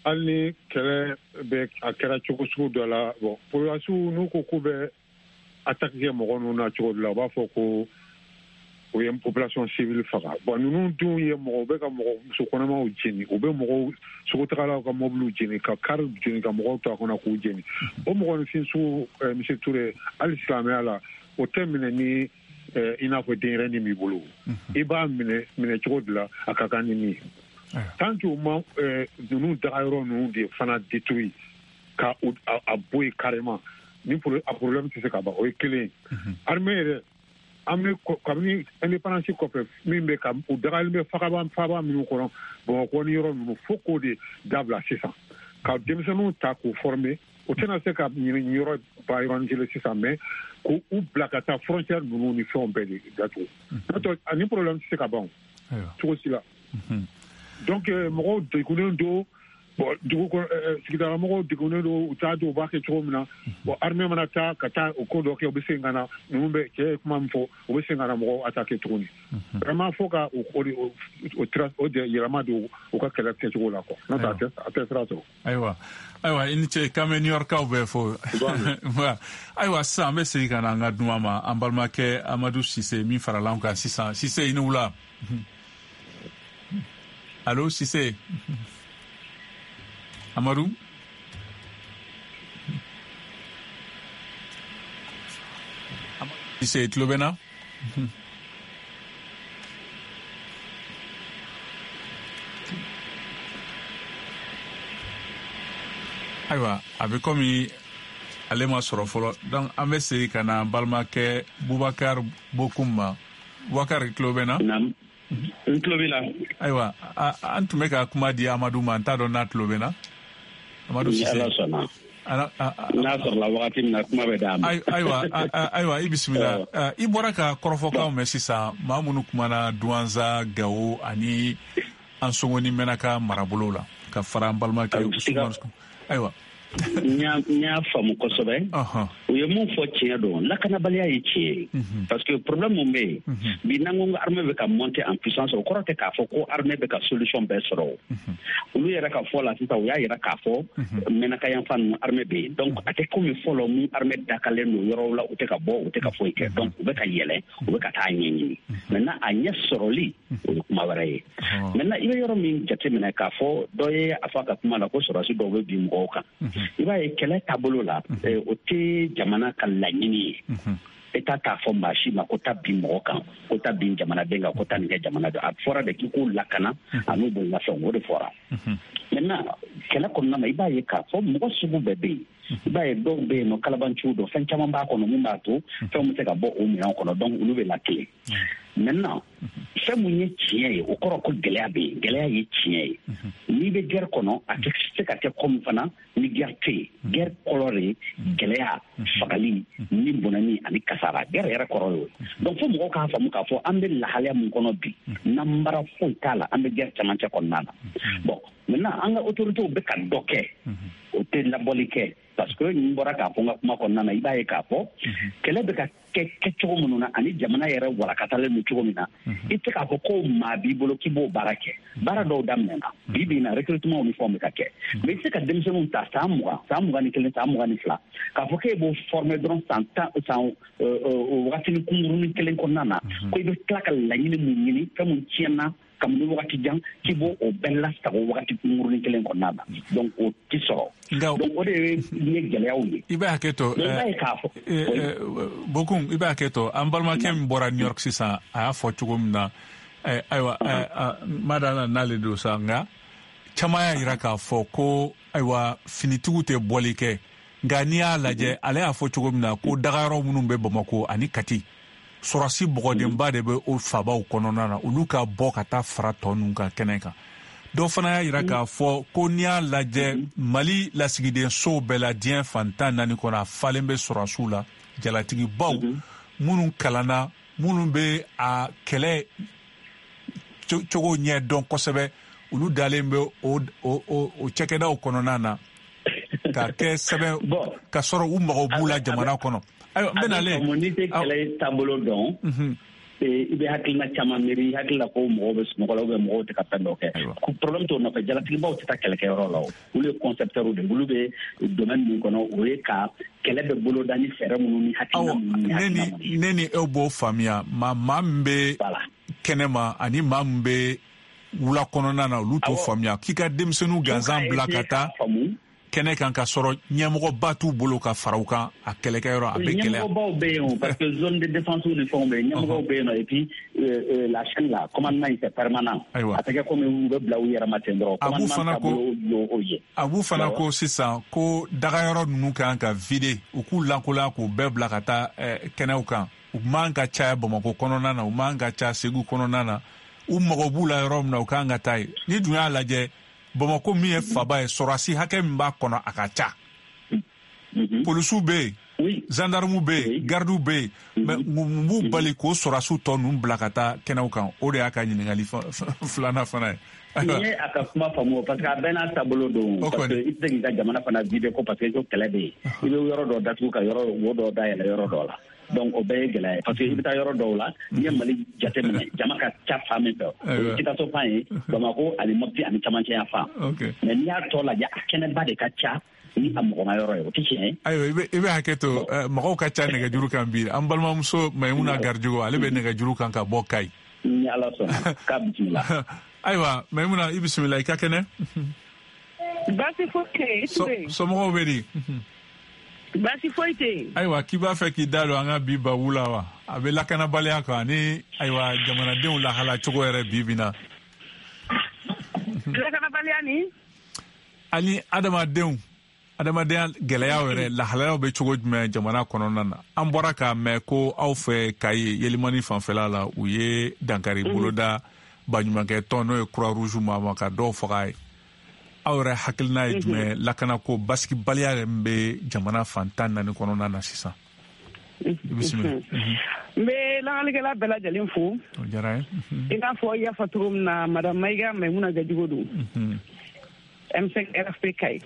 hali ni kɛlɛ bɛ a kɛra cogo sugu dɔ la, bon, population n'u ko k'u bɛ attaque kɛ mɔgɔ ninnu na cogo dɔ la, u b'a fɔ ko o ye population civile faga. Bon, ninnu dun ye mɔgɔ, u bɛ ka mɔgɔ muso kɔnɔmaw jeni, u bɛ mɔgɔw sogotagalaw ka mobiliw jeni, ka kari jeni, ka mɔgɔw to a kɔnɔ k'u jeni. O mɔgɔninfin sugu, monsieur Touré, hali silamɛya la, o tɛ minɛ ni i n'a fɔ denyɛrɛnin b'i bolo. I b'a minɛ minɛ cogo de la a ka kan ni min ye. Tant que u ma ninnu dagayɔrɔ ninnu de fana détruit ka a bɔ yen carrément, ni a problème tɛ se ka ban. O ye kelen ye. Armée yɛrɛ, an bɛ kabini indépendance kɔfɛ, min bɛ ka u dagalen bɛ fagaba faba minnu kɔnɔ Bamakɔ ni yɔrɔ ninnu, fo k'o de dabila sisan, ka denmisɛnninw ta k'u former. O tɛna se ka ɲini yɔrɔ ba yɔrɔnin kelen sisan, mais k'u bila ka taa frontière ninnu ni fɛnw bɛɛ de datugu. N'o tɛ ani problème tɛ se ka ban cogo si la. Donc mɔgɔw degunnen don. Bon, dugu kɔnɔ sigidala mɔgɔw degunnen don, u t'a dɔn u b'a kɛ cogo min na. Bon, armée mana taa ka taa o ko dɔ kɛ, u bɛ segin ka na, ninnu bɛ cɛ ye kuma min fɔ, u bɛ segin ka na mɔgɔw attaquer tuguni. Vraiment, fo ka o o o o yɛlɛma don u ka kɛlɛ kɛcogo la quoi. N'o tɛ a tɛ a tɛ sira sɔrɔ. Ayiwa, ayiwa, i ni ce, k'an bɛ New York-kaw bɛɛ fo. Ayiwa, sisan an bɛ segin ka na an ka dunan ma, an balimakɛ Amadu Sise min farala an kan sisan. Sise, i ni wula. Allo Sise. Amadou? Sise, tulo bɛ na? Ayiwa, a bɛ komi ale ma sɔrɔ fɔlɔ. Donc an bɛ segin ka na an balimakɛ Bubakar Bokum ma. Bubakar, tulo bɛ na? Naam. N tulo b'i la. Ayiwa, an tun bɛ ka kuma di Amadu ma, n t'a dɔn n'a tulo bɛ na. Amadu Sise. Ala sɔnna. N'a sɔrɔla wagati min na, kuma bɛ d'a ma. Ayiwa, ayiwa, i bisimila. I bɔra ka kɔrɔfɔkanw mɛn sisan, maa minnu kumana Duwanza, Gawo ani Ansongo ni Mɛnaka marabolo la, ka fara an balimakɛ Usumani. Ayiwa. N y'a faamu kosɛbɛ. U ye mun fɔ tiɲɛ don, lakanabaliya ye tiɲɛ ye. Parce que problème mun bɛ yen bi, n'an ko armée bɛ ka monter en puissance, o kɔrɔ tɛ k'a fɔ ko armée bɛ ka solution bɛɛ sɔrɔ. Olu yɛrɛ ka fɔ la sisan, u y'a yira k'a fɔ Mɛnaka yanfan ninnu armée bɛ yen. Donc a tɛ komi fɔlɔ mun armée dakalen don yɔrɔw la, u tɛ ka bɔ, u tɛ ka foyi kɛ. Donc u bɛ ka yɛlɛ, u bɛ ka taa ɲɛɲini. Maintenant a ɲɛ sɔrɔli, o ye kuma wɛrɛ ye. Maintenant i bɛ yɔrɔ min jateminɛ k'a fɔ dɔ ye a fɔ a ka kuma la ko sɔrɔdasi dɔw bɛ bin mɔgɔw kan. I b'a ye kɛlɛ taabolo la, o tɛ jamana ka laɲini ye. État t'a fɔ maa si ma ko taa bin mɔgɔ kan, ko taa bin jamanaden kan, ko taa nin kɛ jamana dɔ. A fɔra de k'i k'u lakana an'u bololafɛnw, o de fɔra. Maintenant kɛlɛ kɔnɔna na, i b'a ye k'a fɔ mɔgɔ sugu bɛɛ bɛ yen. I b'a ye dɔw bɛ yen nɔ, kalabanciw don, fɛn caman b'a kɔnɔ mun b'a to fɛnw bɛ se ka bɔ o minɛnw kɔnɔ, donc olu bɛ lakile. Maintenant fɛn mun ye tiɲɛ ye, o kɔrɔ ko gɛlɛya bɛ yen. Gɛlɛya ye tiɲɛ ye. N'i bɛ guerre kɔnɔ, a tɛ se ka kɛ komi fana ni guerre tɛ yen. Guerre kɔrɔ de ye gɛlɛya, fagali, ni bɔnɛni ani kasara. Guerre yɛrɛ kɔrɔ y'o ye. Donc fo mɔgɔw k'a faamu k'a fɔ an bɛ lahalaya mun kɔnɔ bi, nanbara foyi t'a la, an bɛ guerre camancɛ kɔnɔna na. Bon, maintenant an ka autorités bɛ ka dɔ kɛ, o tɛ labɔli kɛ. Parce que n bɔra k'a fɔ n ka kuma kɔnɔna na, i b'a ye k'a fɔ kɛlɛ bɛ ka kɛ kɛcogo minnu na ani jamana yɛrɛ walakatalen don cogo min na, i tɛ k'a fɔ ko maa b'i bolo k'i b'o baara kɛ. Baara dɔw daminɛna bi bi in na, recrutement ni fɛnw bɛ ka kɛ. Mais i tɛ se ka denmisɛnninw ta san mugan, san mugan ni kelen, san mugan ni fila, k'a fɔ k'e b'o former dɔrɔn san tan, san wagatinin kunkurunin kelen kɔnɔna na, ko i bɛ tila ka laɲini mun ɲini, fɛn mun tiɲɛna kabini wagati jan, k'i b'o o bɛɛ lasago wagati kunkurunin kelen kɔnɔna na. Donc o tɛ sɔrɔ. Donc o de ye gɛlɛyaw ye. I bɛ hakɛ to, i b'a ye k'a fɔ Bokum, i bɛ hakɛ to, an balimakɛ min bɔra New York sisan, a y'a fɔ cogo min na, ayiwa, ma da la n'ale don sa, nka caman y'a yira k'a fɔ ko ayiwa, finitigiw tɛ bɔli kɛ. Nka n'i y'a lajɛ, ale y'a fɔ cogo min na ko dagayɔrɔ minnu bɛ Bamakɔ ani Kati, sɔrɔsi bɔgɔdenba de bɛ o fabaw kɔnɔna na, olu ka bɔ ka taa fara tɔ ninnu kan kɛnɛ kan. Dɔw fana y'a yira k'a fɔ ko n'i y'a lajɛ Mali lasigiden sow bɛɛ la diɲɛ fan tan naani kɔnɔ, a falen bɛ sɔrɔsiw la, jalatigibaw minnu kalanna, minnu bɛ a kɛlɛ cogo ɲɛ dɔn kosɛbɛ, olu dalen bɛ o o o cakɛdaw kɔnɔna na ka kɛ sɛbɛn ka sɔrɔ u mago b'u la jamana kɔnɔ. Ayiwa, n bɛ nalen. N'i tɛ kɛlɛ taabolo dɔn, i bɛ hakilina caman miiri, i hakili la ko mɔgɔw bɛ sunɔgɔ la ou bien mɔgɔw tɛ ka fɛn dɔ kɛ. Problème t'o nɔfɛ, jalatigibaw tɛ taa kɛlɛkɛyɔrɔ la o. Olu ye concepteurs de ye, olu bɛ domaine min kɔnɔ, o ye ka kɛlɛ bɛ boloda ni fɛɛrɛ minnu ni hakilina minnu ni hakilina minnu ye. Ne ni e b'o faamuya, maa maa min bɛ kɛnɛma ani maa min bɛ wula kɔnɔna na, olu t'o faamuya. K'i ka denmisɛnninw gansan bila ka taa kɛnɛ kan ka sɔrɔ ɲɛmɔgɔba t'u bolo ka fara u kan a kɛlɛkɛyɔrɔ, a bɛ gɛlɛya. Ɲɛmɔgɔbaw bɛ yen o, parce que zone de défense ni fɛnw bɛ yen, ɲɛmɔgɔw bɛ yen nɔ, et puis la chaîne là, commandement c'est permanent. A tɛ kɛ komi u bɛ bila u yɛrɛ ma ten dɔrɔn. Commandement taabolo y'o ye. A b'u fana ko sisan ko dagayɔrɔ ninnu kan ka vider, u k'u lankolonya k'u bɛɛ bila ka taa kɛnɛw kan. U man ka caya Bamakɔ kɔnɔna na, u man ka caya Segu kɔnɔna na, u mago b'u la yɔrɔ min na, u kan ka taa yen. Ni dun y'a lajɛ, Bamakɔ min ye faba ye, sɔrɔdasi hakɛ min b'a kɔnɔ a ka ca. Polisiw bɛ yen, gendarmew bɛ yen, gardiw bɛ yen, mais mun b'u bali k'o sɔrɔdasiw tɔ ninnu bila ka taa kɛnɛw kan? O de y'a ka ɲininkali filanan fana ye. N ye a ka kuma faamu, parce que a bɛɛ n'a taabolo don. Parce que i tɛ se k'i ka jamana fana vider ko parce que ko kɛlɛ bɛ yen. I bɛ yɔrɔ dɔ datugu ka yɔrɔ wo dɔ dayɛlɛ yɔrɔ dɔ la. Donc o bɛɛ ye gɛlɛya ye, parce que i bɛ taa yɔrɔ dɔw la, n'i ye Mali jateminɛ, jama ka ca fan min fɛ, o ye Sikaso fan ye, Bamakɔ ani Mopti ani camancɛ yan fan. Mais n'i y'a tɔ lajɛ, a kɛnɛba de ka ca ni a mɔgɔma yɔrɔ ye, o tɛ tiɲɛ ye. Ayiwa, i bɛ hakɛ to, mɔgɔw ka ca nɛgɛjuru kan bi. An balimamuso Mayimuna Garijogo, ale bɛ nɛgɛjuru kan ka bɔ Kayi. Ni Ala sɔnna, k'a bisimila. Ayiwa, Mayimuna, i bisimila, i ka kɛnɛ. Baasi foyi tɛ yen. Somɔgɔw bɛ di? Baasi foyi tɛ yen. Ayiwa, k'i b'a fɛ k'i da don an ka bi babu la wa? A bɛ lakanabaliya kan ani ayiwa jamanadenw lahala cogo yɛrɛ bi bi na. Lakanabaliya ni? Ani adamadenw, adamadenya gɛlɛyaw yɛrɛ lahalayaw bɛ cogo jumɛn jamana kɔnɔna na? An bɔra k'a mɛn ko aw fɛ Kayi Yelimani fanfɛla la, u ye dankari boloda baɲumankɛ tɔn n'o ye Croix Rouge ma ma ka dɔw faga ye. Aw yɛrɛ hakilina ye jumɛn lakanako basigibaliya yɛrɛ min bɛ jamana fan tan naani kɔnɔna na sisan? I bisimila. N bɛ lakalikɛla bɛɛ lajɛlen fo. O diyara n ye. I n'a fɔ i y'a fɔ cogo min na, madame Mayiga Mayimuna Gajigo don. M cinq R F P Kayi.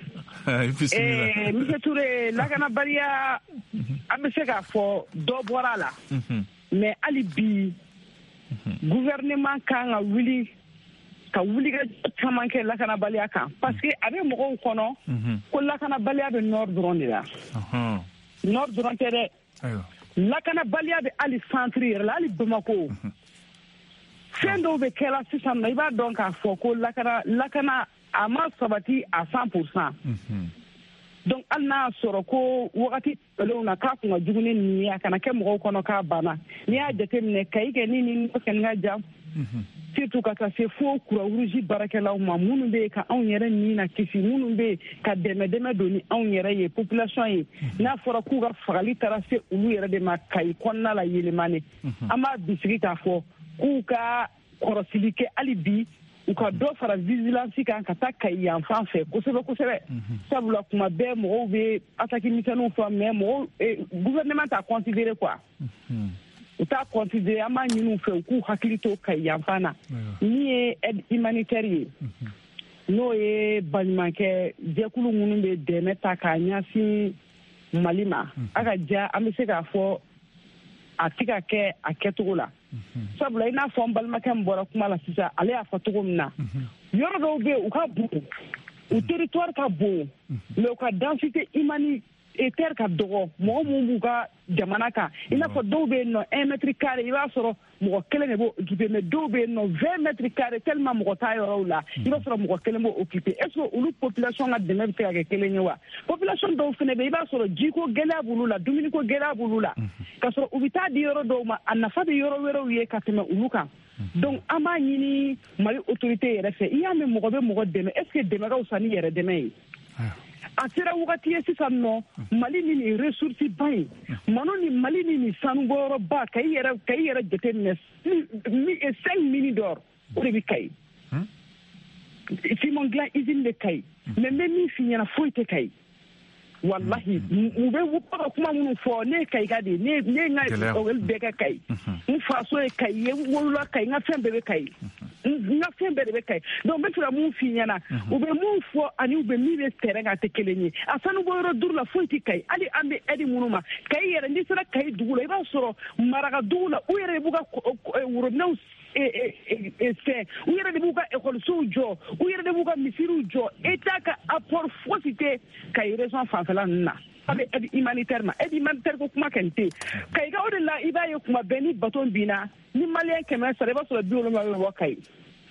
I bisimila. Monsieur Touré, lakanabaliya, an bɛ se k'a fɔ dɔ bɔra a la. Mais hali bi, gouvernement kan ka wuli ka wuli ka caman kɛ lakanabaliya kan, parce que a bɛ mɔgɔw kɔnɔ ko lakanabaliya bɛ nord dɔrɔn de la. Nord dɔrɔn tɛ dɛ, lakanabaliya bɛ hali centre yɛrɛ la, hali Bamakɔ. Fɛn dɔw bɛ kɛla sisan nɔ, i b'a dɔn k'a fɔ ko lakana lakana a ma sabati à cent pour cent. Donc hali n'a sɔrɔ ko wagati tɛmɛnlenw na k'a kun ka jugu ni nin ye, a kana kɛ mɔgɔw kɔnɔ k'a banna. N'i y'a jateminɛ, Kayi kɛ ni ni kɛ ka jan, surtout ka taa se fo Croix Rouge baarakɛlaw ma, minnu bɛ yen ka anw yɛrɛ ni na kisi, minnu bɛ yen ka dɛmɛ dɛmɛ don ni anw yɛrɛ ye population ye. N'a fɔra k'u ka fagali taara se olu yɛrɛ de ma Kayi kɔnɔna la Yelimani, an b'a bisigi k'a fɔ k'u ka kɔrɔsili kɛ hali bi, u ka dɔ fara vigilance kan ka taa Kayi yan fan fɛ kosɛbɛ kosɛbɛ. Sabula kuma bɛɛ mɔgɔw bɛ attaque misɛnninw fɔ, mais mɔgɔw gouvernement t'a considéré quoi. U t'a considéré. An b'a ɲini u fɛ u k'u hakili to Kayi yan fan na. Min ye aide humanitaire ye, n'o ye baɲumankɛ jɛkulu minnu bɛ dɛmɛ ta k'a ɲɛsin Mali ma, a ka ja an bɛ se k'a fɔ a tɛ ka kɛ a kɛcogo la. Sabula i n'a fɔ n balimakɛ min bɔra kuma la sisan, ale y'a fɔ cogo min na, yɔrɔ dɔw bɛ yen u ka bon, u territoire ka bon, mais u ka densité humanitaire ka dɔgɔ. Mɔgɔ minnu b'u ka jamana kan, i n'a fɔ dɔw bɛ yen nɔ un mètre carré, i b'a sɔrɔ mɔgɔ kelen de b'o occupé, mais dɔw bɛ yen nɔ vingt mètres carré, tellement mɔgɔ t'a yɔrɔw la, i b'a sɔrɔ mɔgɔ kelen b'o occupé. Est ce que olu population ka dɛmɛ bɛ se ka kɛ kelen ye wa? Population dɔw fana bɛ yen, i b'a sɔrɔ jiko gɛlɛya b'olu la, dumuniko gɛlɛya b'olu la, k'a sɔrɔ u bɛ taa di yɔrɔ dɔw ma, a nafa bɛ yɔrɔ wɛrɛw ye ka tɛmɛ olu kan. Donc an b'a ɲini Mali autorité yɛrɛ fɛ, i y'a mɛn mɔgɔ bɛ mɔgɔ dɛmɛ, est ce que dɛmɛ ka fisa ni yɛrɛ dɛmɛ ye? A sera wagati ye sisan nɔ, Mali ni nin ressource ba in, Mali ni Mali ni nin sanubɔyɔrɔba, ka i yɛrɛ ka i yɛrɛ jateminɛ, cinq mines d'or o de bɛ Kayi. Simon dilan usine bɛ Kayi, mais n bɛ min f'i ɲɛna, foyi tɛ Kayi. Wallahi, u bɛ ka kuma minnu fɔ, ne ye Kayika de ye, ne ne ye n ka école bɛɛ kɛ Kayi, n faso ye Kayi ye, n wolola Kayi, n ka fɛn bɛɛ bɛ Kayi. N ka fɛn bɛɛ de bɛ Kayi. Donc n bɛ fɛ ka mun f'i ɲɛna, u bɛ mun fɔ ani u bɛ min bɛ terrain kan a tɛ kelen ye. A sanu bɔ yɔrɔ duuru la foyi tɛ Kayi. Hali an bɛ aide minnu ma Kayi yɛrɛ, n'i sera Kayi dugu la, i b'a sɔrɔ Maraka dugu la, u yɛrɛ de b'u ka worobinɛw fɛn, u yɛrɛ de b'u ka ekɔlisow jɔ, u yɛrɛ de b'u ka misiriw jɔ. État ka apport fosi tɛ Kayi région fanfɛla ninnu na. A bɛ aide humanitaire ma, aide humanitaire ko kuma kɔni tɛ yen Kayi ka. O de la i b'a ye kuma bɛɛ ni bateau binna, ni malien kɛmɛ sara, i b'a sɔrɔ bi wolonwula bɛ bɔ Kayi,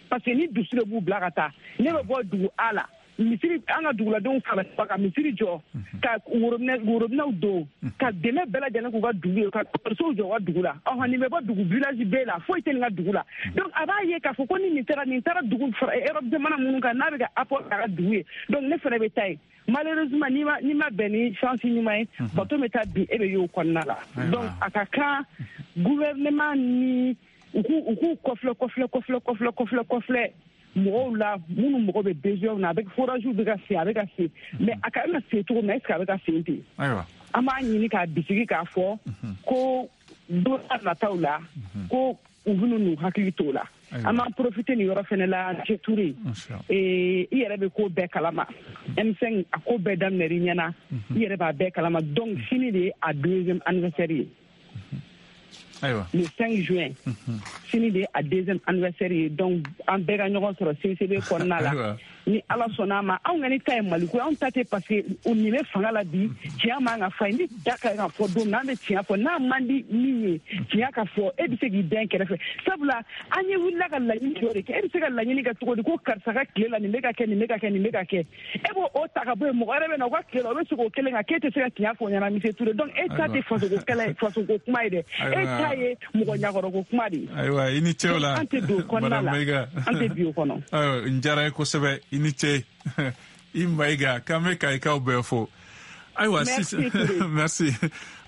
parce que ni dusu de b'u bila ka taa. Ne bɛ bɔ dugu A la, misiri, an ka duguladenw fara ka misiri jɔ, ka worobinɛ worobinɛw don, ka dɛmɛ bɛɛ lajɛlen k'u ka dugu ye, ka ekɔlisow jɔ u ka dugu la. Ɔhɔn, nin bɛ bɔ dugu village B la, foyi tɛ nin ka dugu la. Donc a b'a ye k'a fɔ ko ni nin taara nin taara dugu Europe jamana minnu kan, n'a bɛ ka apport k'a ka dugu ye, donc ne fana bɛ taa yen. Malheureusement, n'i ma n'i ma bɛn ni chance ɲuman ye, bateau bɛ taa bin, e bɛ y'o kɔnɔna la. Donc a ka kan gouvernement ni u k'u u k'u kɔfilɛ kɔfilɛ kɔfilɛ kɔfilɛ kɔfilɛ kɔfilɛ mɔgɔw la minnu mɔgɔ bɛ besoin na. A bɛ forage bɛ ka sen, a bɛ ka sen, mais a ka kan ka sen cogo min na, est ce que a bɛ ka sen ten? An b'a ɲini k'a bisigi k'a fɔ ko don nataw la ko u bɛna n'u hakili t'o la. An b'an profiter nin yɔrɔ fɛnɛ la, Monsieur Touré, i yɛrɛ bɛ ko bɛɛ kalama. M cinq a ko bɛɛ daminɛr'i ɲɛna, i yɛrɛ b'a bɛɛ kalama. Donc sini de ye a deuxième anniversaire ye. Ayiwa. Le cinq juin, sini de ye a deuxième anniversaire ye. Donc an bɛɛ ka ɲɔgɔn sɔrɔ C C B kɔnɔna la. Ni Ala sɔnna a ma, anw kɔni ta ye Maliko ye, anw ta tɛ parce que nin bɛ fanga la bi, tiɲɛ man ka fɔ. Ni da ka kan ka fɔ don min na, an bɛ tiɲɛ fɔ. N'a man di min ye, tiɲɛ ka fɔ, e bɛ se k'i dɛn kɛrɛfɛ. Sabula an ye wulila ka laɲini dɔ de kɛ. E bɛ se ka laɲini kɛ cogo di ko karisa ka tile la nin bɛ ka kɛ, nin bɛ ka kɛ, nin bɛ ka kɛ, e b'o o ta ka bɔ yen, mɔgɔ wɛrɛ bɛ na o ka tile la, o bɛ se k'o kelen kan, k'e tɛ se ka tiɲɛ fɔ o ɲɛna, Monsieur Touré. Donc e ta tɛ fasoko kɛlɛ, fasoko kuma ye dɛ, e ta ye mɔgɔ ɲakɔrɔko kuma de ye. Ayiwa, i ni ce o la. An tɛ don kɔnɔna la, an tɛ bi o kɔnɔ. Ayiwa, n diyara ye kosɛbɛ. I ni ce i Mayiga, k'an bɛ Kayikaw bɛɛ fo. Ayiwa sisan, merci.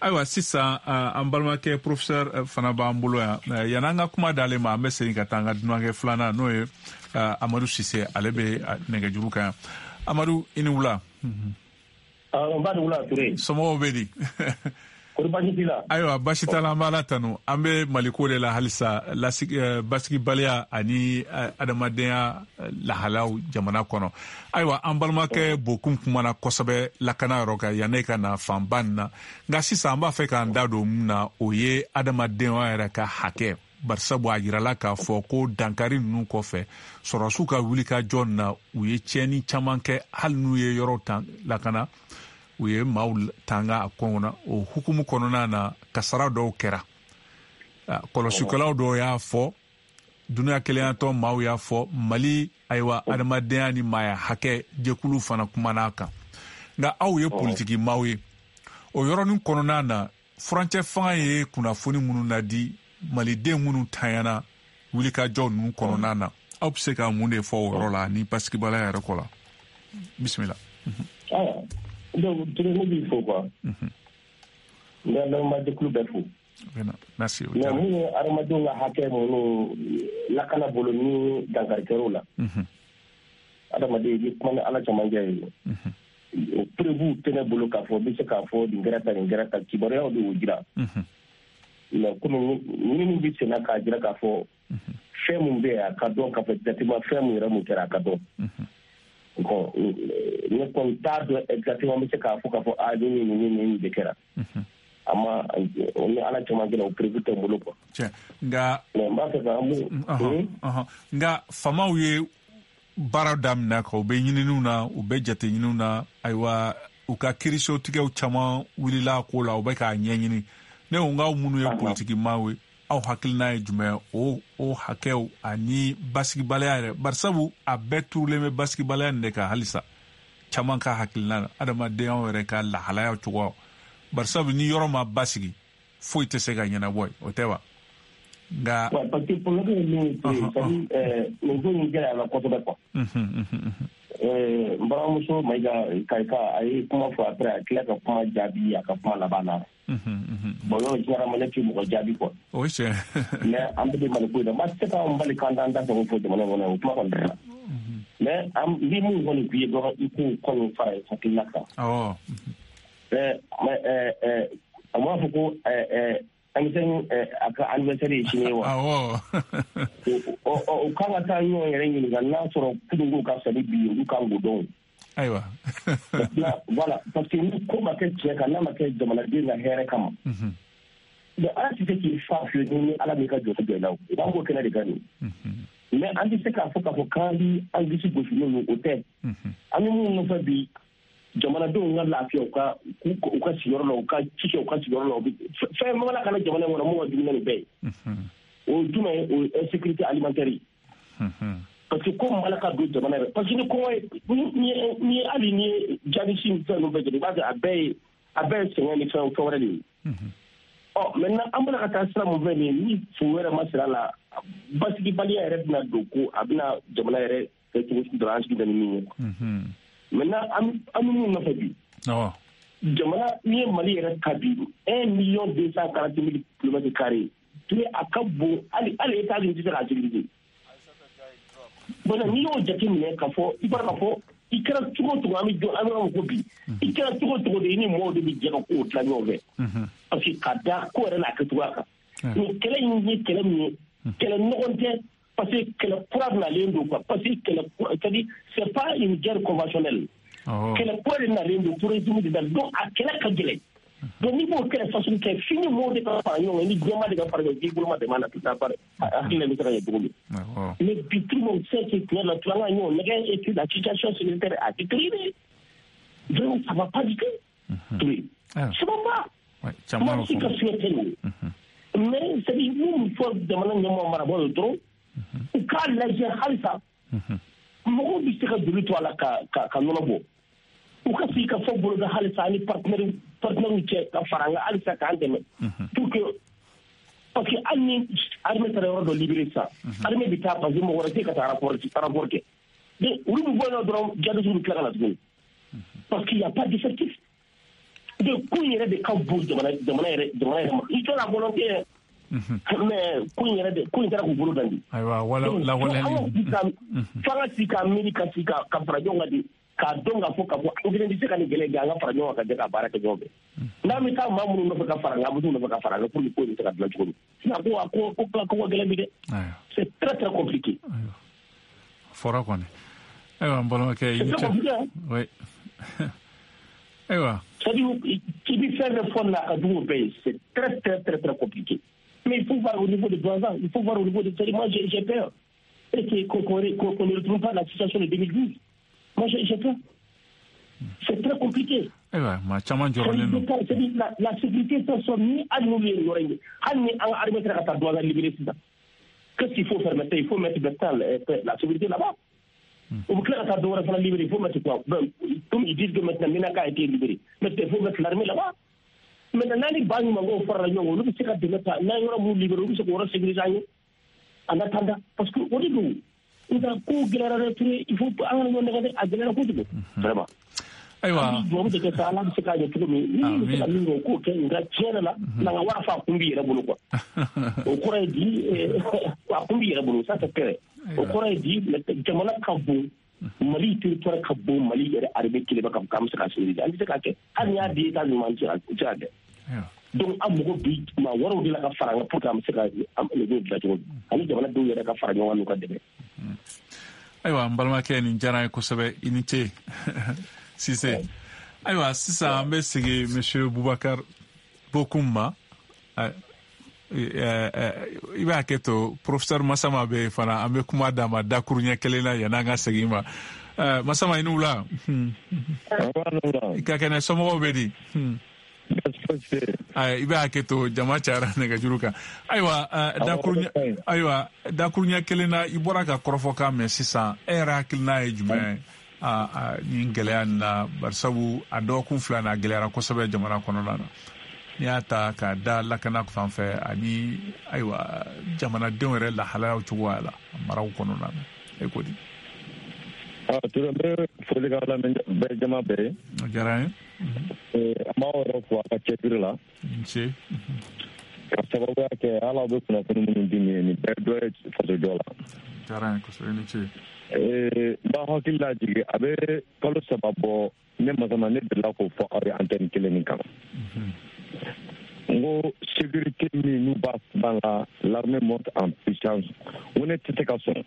Ayiwa sisan, an balimakɛ professeur fana b'an bolo yan. Yan'an ka kuma d'ale ma, an bɛ segin ka taa an ka dunankɛ filanan, n'o ye Amadu Sise, ale bɛ nɛgɛjuru kan yan. Amadu, i ni wula. N ba ni wula Ture. Somɔgɔw bɛ di? Kori baasi t'i la? Ayiwa, baasi t'a la, an b'Ala tanu. An bɛ Maliko de la halisa, basigibaliya ani adamadenya lahalaw jamana kɔnɔ. Ayiwa, an balimakɛ Bokum kumana kosɛbɛ lakana yɔrɔ kan yanni ka na fanba nin na. Nka sisan an b'a fɛ k'an da don mun na, o ye adamadenya yɛrɛ ka hakɛ. Barisabu a yirala k'a fɔ ko dankari ninnu kɔfɛ, sɔrɔdasiw ka wulikajɔ na, u ye tiɲɛni caman kɛ, hali n'u ye yɔrɔw tan lakana, u ye maaw tanga a kɔnɔ. O hukumu kɔnɔna na, kasara dɔw kɛra. Kɔlɔsikɛlaw dɔw y'a fɔ, dunuya kelenyatɔn maaw y'a fɔ, Mali ayiwa adamadenya ni maaya hakɛ jɛkulu fana kumana a kan. Nka aw ye politiki maaw ye, o yɔrɔnin kɔnɔna na, furancɛ fanga ye kunnafoni minnu nadi maliden minnu tanyana wulikajɔ ninnu kɔnɔna na, aw bɛ se ka mun de fɔ o yɔrɔ la ni basigibaliya yɛrɛ kɔ la? Bisimila. Donc, Touré, ne b'i fo quoi. N bɛ lamɛnbaajɛkulu bɛɛ fo. Merci. Mais mun ye hadamadenw ka hakɛ minnu lakana bolo ni dankari kɛr'o la, adamaden i bɛ kuma ni Ala cɛmancɛ ye. O preuve tɛ ne bolo k'a fɔ n bɛ se k'a fɔ nin kɛra tan, nin kɛra tan, kibaruyaw de y'o jira. Mais komi ɲinini bɛ sen na k'a jira k'a fɔ fɛn mun bɛ yen, a ka dɔn k'a fɔ exactement fɛn mun yɛrɛ mun kɛra, a ka dɔn. Bon, ne kɔni t'a dɔn exactement n bɛ se k'a fɔ k'a fɔ aa nin nin nin nin de kɛra. A ma o ni Ala cɛmancɛ la, o preuve tɛ n bolo quoi. Tiɲɛ, nka. Mais n b'a fɛ ka mun. Nka faamaw ye baara daminɛ kan, u bɛ ɲininiw na, u bɛ jateɲiniw na. Ayiwa, u ka kiirisotigɛw caman wulila a ko la, u bɛ k'a ɲɛɲini. Ne ko n k'aw minnu ye politiki maaw ye, aw hakilina ye jumɛn o o hakɛw ani basigibaliya yɛrɛ? Barisabu a bɛɛ turulen bɛ basigibaliya nin de kan halisa, caman ka hakilina na, adamadenyaw yɛrɛ ka lahalaya cogoyaw. Barisabu ni yɔrɔ ma basigi, foyi tɛ se ka ɲɛnabɔ yen, o tɛ wa? Nka. Parce que problème ye min ye, c'est-à-dire nin ko in gɛlɛyara kosɛbɛ quoi. N balimamuso Mayiga Kayika, a ye kuma fɔ, après a tila ka kuma jaabi a ka kuma laban na. Bon, yɔrɔ généralement ne tɛ mɔgɔ jaabi quoi. O ye tiɲɛ. Mais an bɛɛ bɛ Maliko in na, ma se k'an bali k'an t'an da sago fɔ jamana kɔnɔ, o kuma kɔni tɛ la. Mais an bɛ mun kɔni f'i ye dɔrɔn, i k'o kɔni fara i hakilina kan. Awɔ. Ɛɛ ɛɛ a m'a fɔ ko ɛɛ M cinq a ka anniversaire ye sini ye wa? Awɔ. O kan ka taa ɲɔgɔn yɛrɛ ɲininka n'a sɔrɔ kununko ka fisa ni bi ye, olu kan k'o dɔn. Ayiwa. Voilà, parce que ni ko ma kɛ tiɲɛ kan, n'a ma kɛ jamanaden ka hɛrɛ kama. Donc ala tɛ se k'i fa fiyewu ni ala m'i ka jɔ jɔ i la o. I b'an k'o kɛnɛ de kan nin. Mais an tɛ se k'a fɔ k'a fɔ k'an bi an disi gosi n'o ye, o tɛ. An bɛ minnu nɔfɛ bi, jamanadenw ka lafiya u ka u ka sigiyɔrɔ la, u ka ci kɛ u ka sigiyɔrɔ la, fɛn mana kana jamana in kɔnɔ mun ka jugu ni nin bɛɛ ye. O ye jumɛn ye? O ye insécurité alimentaire ye. Parce que ko mana ka don jamana yɛrɛ, parce que ni kɔngɔ ye, ni ni hali ni ye jadisi ni fɛn ninnu bɛɛ jate, i b'a kɛ a bɛɛ ye a bɛɛ ye sɛgɛn ni fɛn fɛn wɛrɛ de ye. Ɔ maintenant an bɛna ka taa sira mun fɛ nin ye, ni fu wɛrɛ ma sira la, basigibaliya yɛrɛ bɛna don ko a bɛna jamana yɛrɛ kɛ cogo sugu dɔ la, an sigi bɛ ni min ye. Maintenant an bɛ min nɔfɛ bi, jamana n'i ye Mali yɛrɛ ta bi, un million deux cent quarante mille kilomètres carrés, a ka bon hali hali États-Unis tɛ se k'a sécuriser. Bon n'i y'o jateminɛ k'a fɔ i b'a k'a fɔ i kɛra cogo o cogo, an bɛ jɔ an bɛ yɔrɔ min ko bi, i kɛra cogo o cogo de i ni mɔgɔw de bɛ jɛ ka kow dilan ɲɔgɔn fɛ. Parce que ka da ko yɛrɛ n'a kɛcogoya kan. Nin kɛlɛ in ye kɛlɛ min ye, kɛlɛ ɲɔgɔn tɛ, parce que kɛlɛ kura nalen don quoi, parce que kɛlɛ kura, c'est-à-dire c'est pas une guerre conventionnelle. Kɛlɛ kura de nalen don, terrorisme de nalen donc a kɛlɛ ka gɛlɛn. Donc n'i b'o kɛlɛ façon kɛ, f'i ni mɔgɔw de ka fara ɲɔgɔn kan, ni jɛma de ka fara ɲɔgɔn kan, k'i bolo ma dɛmɛ a la tout à fait, hakilina bɛ se ka ɲɛ cogo min. Mais bi tout le monde sait que tiɲɛ la, an ka ɲɔgɔn nɛgɛ et puis la situation sécuritaire a détérioré. Vraiment ça va pas du tout. Oui. Ça va pas. Moi si ka souhaité nin. Mais c'est-à-dire mun fɔ jamana ɲɛmɔgɔ marabaaw ye dɔrɔn, u k'a lajɛ halisa mɔgɔw bɛ se ka joli to a la ka ka ka nɔnɔ bɔ. U ka sigi ka fɔ boloda halisa ani partenaire partenaire cɛ ka fara an kan halisa k'an dɛmɛ pour que, parce que hali ni armée taara yɔrɔ dɔ libéré sisan, armée bɛ taa parce que mɔgɔ wɛrɛ tɛ ka taa rapport rapport kɛ. Donc olu bɛ bɔ yen nɔ dɔrɔn, jihadistes bɛ tila ka na tuguni parce qu'il y a pas d'effectif. Donc ko in yɛrɛ de ka bon jamana jamana yɛrɛ jamana yɛrɛ ma. I tɔ la volonté, mais ko in yɛrɛ de ko in taara k'u bolo dan de. Ayiwa, wala lawaleyali. F'an ka sigi ka miiri ka sigi ka ka fara ɲɔgɔn kan de, k'a dɔn k'a fɔ k'a fɔ an kelen tɛ se ka nin gɛlɛya kɛ, an ka fara ɲɔgɔn kan ka jɛ ka baara kɛ ɲɔgɔn fɛ. N'an bɛ taa maa minnu nɔfɛ ka fara an kan, an bɛ t'u nɔfɛ ka fara an kan pour que ko in bɛ se ka dilan cogo min. Sinon ko a ko ko ko ka gɛlɛn bi dɛ. C'est très très compliqué. Fɔra kɔni. Ayiwa n balimakɛ i ni ce. Oui. Ayiwa. C'est-à-dire i bɛ fɛn fɛn fɔ nin na, a ka jugu o bɛɛ ye. C'est très très très très compliqué. Mais il faut voir au niveau de Douentza, il faut voir au niveau de... Moi j'ai, j'ai peur. Et qu'on, qu'on, qu'on ne retrouve pas la situation de deux mille douze. Moi j'ai, j'ai peur. C'est très compliqué. Ayiwa, maa caman jɔrɔlen don. C'est-à-dire la, la sécurité sera ni hali n'olu ye nin yɔrɔ in ye, hali ni an ka armée sera ka taa Douentza libérer sisan. Qu'est-ce qu'il faut faire maintenant? Il faut mettre maintenant la sécurité là-bas. U bɛ tila ka taa dɔ wɛrɛ fana libérer, il faut mettre quoi? Ben, comme ils disent que maintenant Menaka a été libéré, maintenant il faut mettre l'armée là-bas. Maintenant n'a ni ba ɲumankɛw farala ɲɔgɔn kan, olu bɛ se ka dɛmɛ ta, n'an yɔrɔ minnu libéré, olu bɛ se k'o yɔrɔ sécuriser an ye en attendant, parce que o de don. Nka ko gɛlɛyara dɛ, Ture, il faut an kana ɲɔgɔn nɛgɛ dɛ, a gɛlɛyara kojugu vraiment. Ayiwa. Dubabu de kɛ sa, Ala bɛ se k'a ɲɛ cogo min, ni bɛ se ka min kɛ o k'o kɛ, nka tiɲɛ yɛrɛ la, n'an ka wara fa a kun b'i yɛrɛ bolo quoi. O kɔrɔ ye di, a kun b'i yɛrɛ bolo, ça c'est clair. O kɔrɔ ye di, jamana ka bon, Mali territoire ka bon, Mali yɛrɛ armée kelen bɛ k'an bɛ se k'a sécuriser, an tɛ se k'a kɛ, hali n'i y'a di États-Unis ma, an tɛ se k'a kɛ. Donc an mago bi maa wɛrɛw de la ka fara an kan pour que an bɛ se ka nin ko dilan cogo min, ani jamanadenw yɛrɛ ka fara ɲɔgɔn kan n'u ka dɛmɛ. Ayiwa n balimakɛ, nin diyara n ye kosɛbɛ, i ni ce Sise. Ayiwa sisan an bɛ segin Monsieur Boubacar Bocoum ma. I b'a kɛ to professeur Massama bɛ yen fana, an bɛ kuma d'a ma dakuruɲɛ kelen na yanni an ka segin ma. Massama i ni wula. I ka kɛnɛ, somɔgɔw bɛ di? I bɛ hakɛ to, jama cayara nɛgɛjuru kan. Ayiwa dakuruɲɛ ayiwa dakuruɲɛ kelen na, i bɔra ka kɔrɔfɔkan mɛn sisan, e yɛrɛ hakilina ye jumɛn ye nin gɛlɛya nin na? Barisabu a dɔgɔkun fila na, a gɛlɛyara kosɛbɛ jamana kɔnɔna na. N'i y'a ta k'a da lakana fan fɛ ani ayiwa jamanadenw yɛrɛ lahalayaw cogoya la maraw kɔnɔna na, e ko di? Ture, n bɛ foli k'aw lamɛn bɛɛ jama bɛɛ ye. O diyara n ye. An b'aw yɛrɛ fo a ka cɛsiri la. N ce. Ka sababuya kɛ hali aw bɛ kunnafoni minnu di nin ye, nin bɛɛ dɔ ye fasojɔ la. O diyara n ye kosɛbɛ, i ni ce. N b'aw hakili lajigin, a bɛ kalo saba bɔ, ne Massama ne delila k'o fɔ aw ye antenne kelen nin kan. N ko Sécurité min n'u b'a ban la, l'armée monte en puissance, o ne tɛ se ka sɔn,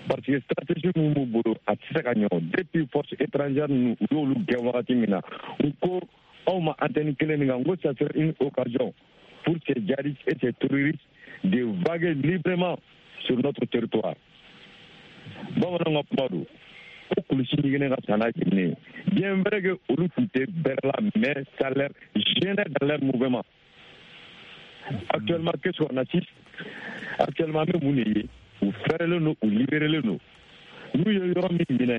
parce que stratégie min b'u bolo, a tɛ se ka ɲɛ o. Depuis force étrangère ninnu, u y'olu gɛn wagati min na, u ko aw ma antenne kelen nin kan, n ko ça serait une occasion pour ces djihadistes et ces terroristes de vaguer librement sur notre territoire. Bamananw ka kuma don ko kulusi ɲiginɛ ka san n'a jiginɛ ye. Bien vrai que olu tun tɛ bɛrɛ la, mais ça leur gênait dans leur mouvement. Actuellement, qu'est-ce qu'on assiste? Actuellement, an bɛ mun de ye? U fɛrɛlen don, u libérélen don. N'u ye yɔrɔ min minɛ,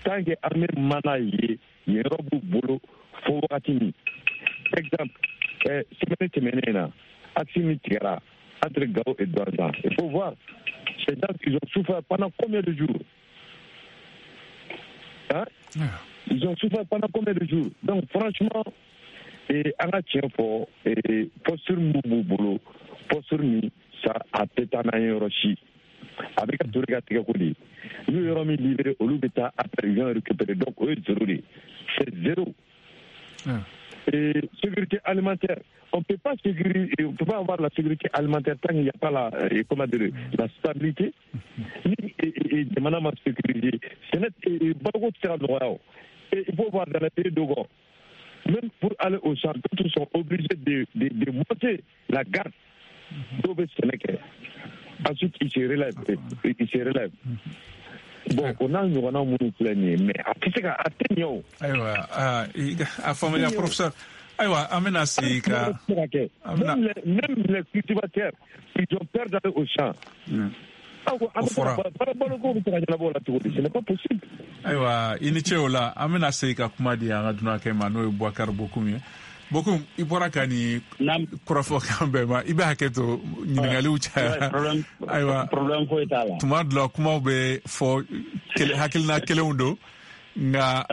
tant que armée mana ye, yen yɔrɔ b'u bolo fo wagati min. Exemple, eh, semaine tɛmɛnen na, axe min tigɛra entre Gao et Douentza, il faut voir ces gens, ils ont souffert pendant combien de jours, hein? Ils ont souffert pendant combien de jours? Donc franchement, et an ka tiɲɛ fɔ, posture min b'u bolo, posture min sa a tɛ taa n'an ye yɔrɔ si. A bɛ ka Touré ka tigɛ ko de ye. N'u ye yɔrɔ min libéré, olu bɛ taa après, ils vont récupérer. Donc o ye zéro de ye, c'est zéro. Et sécurité alimentaire, on peut pas sécuriser, on peut pas avoir la sécurité alimentaire tant qu'il n'y a pas la, comment dire, la stabilité. Ni jamana ma sécuriser, ce n'est baloko tɛ se ka nɔgɔya o. Et il faut voir dans les pays dogon, même pour aller au champ, d'autres sont obligés de, de, de monter la garde. Dɔw bɛ sɛnɛ kɛ, ensuite ils se relèvent, ils se relèvent. Bon, o n'a ɲɔgɔnna minnu filɛ nin ye, mais a tɛ se ka, a tɛ ɲɛ o. Ayiwa, a faamuya professeur. Ayiwa, an bɛna segin ka. Même les, même les cultivateurs, ils ont peur d'aller au champ. O fɔra. Baloko bɛ se ka ɲɛnabɔ o la cogo di? Ce n'est pas possible. Ayiwa, i ni ce o la. An bɛna segin ka kuma di an ka dunankɛ ma, n'o ye Boubacar Bocoum ye. Bocoum, i bɔra ka nin kɔrɔfɔkan bɛɛ ma, i bɛ hakɛ to ɲininkaliw cayara. Ayiwa, problème foyi t'a la. Tuma dɔ la kumaw bɛ fɔ hakilina kelenw don, nka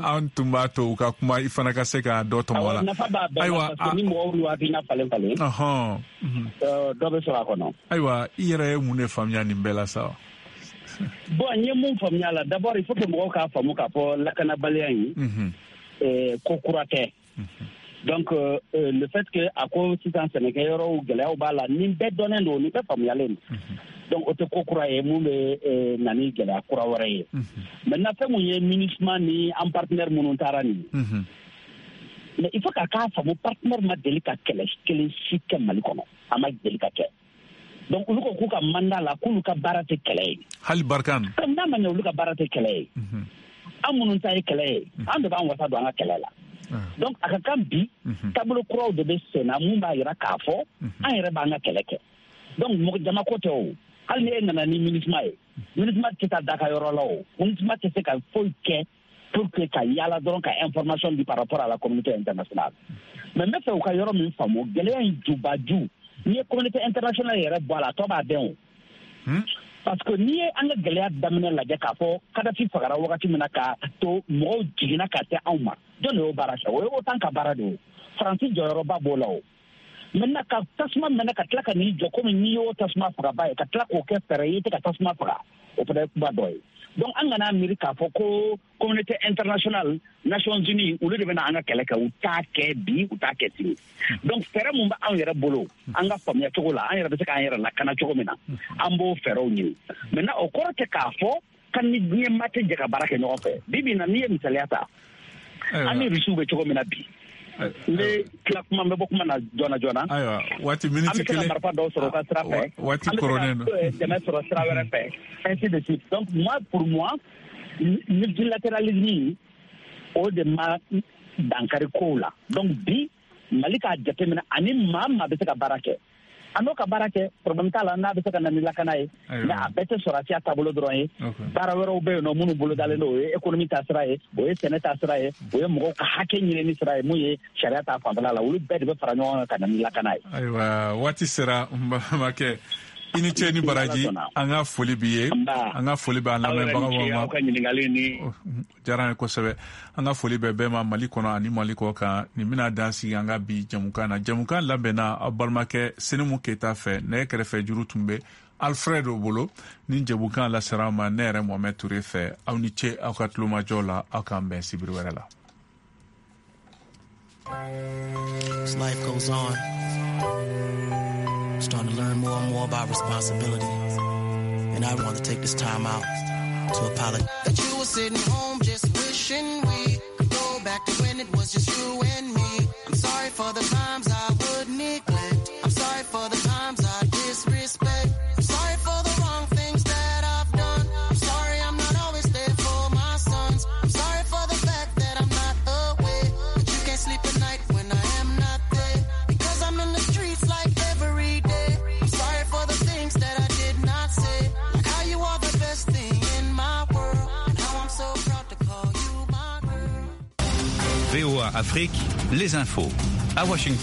an tun b'a to u ka kuma, i fana ka se ka dɔ tɔmɔ a la. Nafa b'a bɛɛ la, parce que ni mɔgɔw y'u hakilina falen falen, dɔ bɛ sɔrɔ a kɔnɔ. Ayiwa, i yɛrɛ ye mun de faamuya nin bɛɛ la sa? Bon, n ye mun faamuya a la, d'abord il faut que mɔgɔw k'a faamu k'a fɔ lakanabaliya in ko kura tɛ. Donc euh, le fait que a ko sisan sɛnɛkɛyɔrɔw gɛlɛyaw b'a la, nin bɛɛ dɔnnen don, nin bɛɛ faamuyalen don. Donc o tɛ ko kura ye mun bɛ na ni gɛlɛya kura wɛrɛ ye. Maintenant, fɛn mun ye MINUSMA ni an partenaire minnu taara nin ye, mais il faut k'a k'a faamu, partenaire ma deli ka kɛlɛ kelen si kɛ Mali kɔnɔ, a ma deli ka kɛ. Donc olu ko k'u ka mandat la, k'olu ka baara tɛ kɛlɛ ye. Hali Barkhane. Comme n'a ma ɲɛ olu ka baara tɛ kɛlɛ ye, an minnu ta ye kɛlɛ ye, an de b'an wasa don an ka kɛlɛ la. Donc a ka kan bi taabolo kuraw de bɛ sen na mun b'a yira k'a fɔ an yɛrɛ b'an ka kɛlɛ kɛ. Donc mɔgɔ jama ko tɛ o. Hali ni e nana ni MINUSMA ye, MINUSMA tɛ taa da ka yɔrɔ la o. MINUSMA tɛ se ka foyi kɛ pour que ka yaala dɔrɔn ka information di par rapport à la communauté internationale. Mais n bɛ fɛ u ka yɔrɔ min faamu, gɛlɛya in jubaju, n'i ye communauté internationale yɛrɛ bɔ a la, a tɔ b'a dɛn o. Parce que n'i ye an ka gɛlɛya daminɛ lajɛ k'a fɔ Kadhafi fagara wagati min na k'a to mɔgɔw jiginna ka se anw ma, jɔn de y'o baara kɛ? O ye OTAN ka baara de ye. Faransi jɔyɔrɔba b'o la o. Maintenant ka tasuma mɛnɛ ka tila ka n'i jɔ komi n'i y'o tasuma fagaba ye, ka tila k'o kɛ fɛɛrɛ ye i tɛ ka tasuma faga, o fana ye kuma dɔ ye. Donc an kana miiri k'a fɔ ko communauté internationale, Nations Unies, olu de bɛna an ka kɛlɛ kɛ. U t'a kɛ bi, u t'a kɛ sini. Donc fɛɛrɛ mun bɛ anw yɛrɛ bolo, an ka faamuya cogo la, an yɛrɛ bɛ se k'an yɛrɛ lakana cogo min na, an b'o fɛɛrɛw ɲini. Maintenant o kɔrɔ tɛ k'a fɔ kan ni diɲɛ maa tɛ jɛ ka baara kɛ ɲɔgɔn fɛ. Bi bi in na, n'i ye misaliya ta, an ni Rusiw bɛ cogo min na bi, n bɛ tila kuma, n bɛ bɔ kuma na joona joona. Ayiwa, waati miniti kelen. An bɛ se ka marifa dɔw sɔrɔ u ka sira fɛ. Waati koronnen don. An bɛ se ka dɛmɛ sɔrɔ sira wɛrɛ fɛ, ainsi de suite. Donc moi, pour moi, multilatéralisme o de ma dankari kow la. Donc bi Mali k'a jateminɛ ani maa maa bɛ se ka baara kɛ, an n'o ka baara kɛ, problème t'a la, n'a bɛ se ka na ni lakana ye. Mais a bɛɛ tɛ sɔrɔsiya taabolo dɔrɔn ye. Baara wɛrɛw bɛ yen nɔ minnu bolodalen don, o ye économie ta sira ye, o ye sɛnɛ ta sira ye, o ye mɔgɔw ka hakɛ ɲinini sira ye, mun ye sariya ta fanfɛla la, olu bɛɛ de bɛ fara ɲɔgɔn kan ka na ni lakana ye. Ayiwa, waati sera n balimakɛ. I ni ce ni baraji, an ka foli b'i ye, an ka foli b'an lamɛnbagaw ma. Aw ka ɲininkali ni diyara an ye kosɛbɛ. An ka foli bɛ bɛɛ ma Mali kɔnɔ ani Mali kɔ kan. Nin bɛna dan sigi an ka bi jamukan na. Jamukan labɛnna aw balimakɛ Senimu Keyita fɛ, nɛgɛ kɛrɛfɛ juru tun bɛ Alfred bolo. Ni jamukan lasera aw ma ne yɛrɛ Mohamed Touré fɛ. Aw ni ce aw ka tulomajɔ la, aw k'an bɛn sibiri wɛrɛ la. As life goes on, I'm starting to learn more and more about responsibility. And I want to take this time out to apologize. That you were sitting home just wishing we could go back to when it was just you and me. I'm sorry for the times I would neglect. I'm sorry for the times I disrespect. I'm sorry for the wrong things that I've done. I'm sorry I'm not always there for my sons. I'm sorry for the fact that I'm not aware that you can't sleep at night when I am not there. Because I'm in the streets like every day. I'm sorry for the things that I did not say. Like how you are the best thing in my world. And how I'm so proud to call you my girl. V O A Afrique, les infos. À Washington.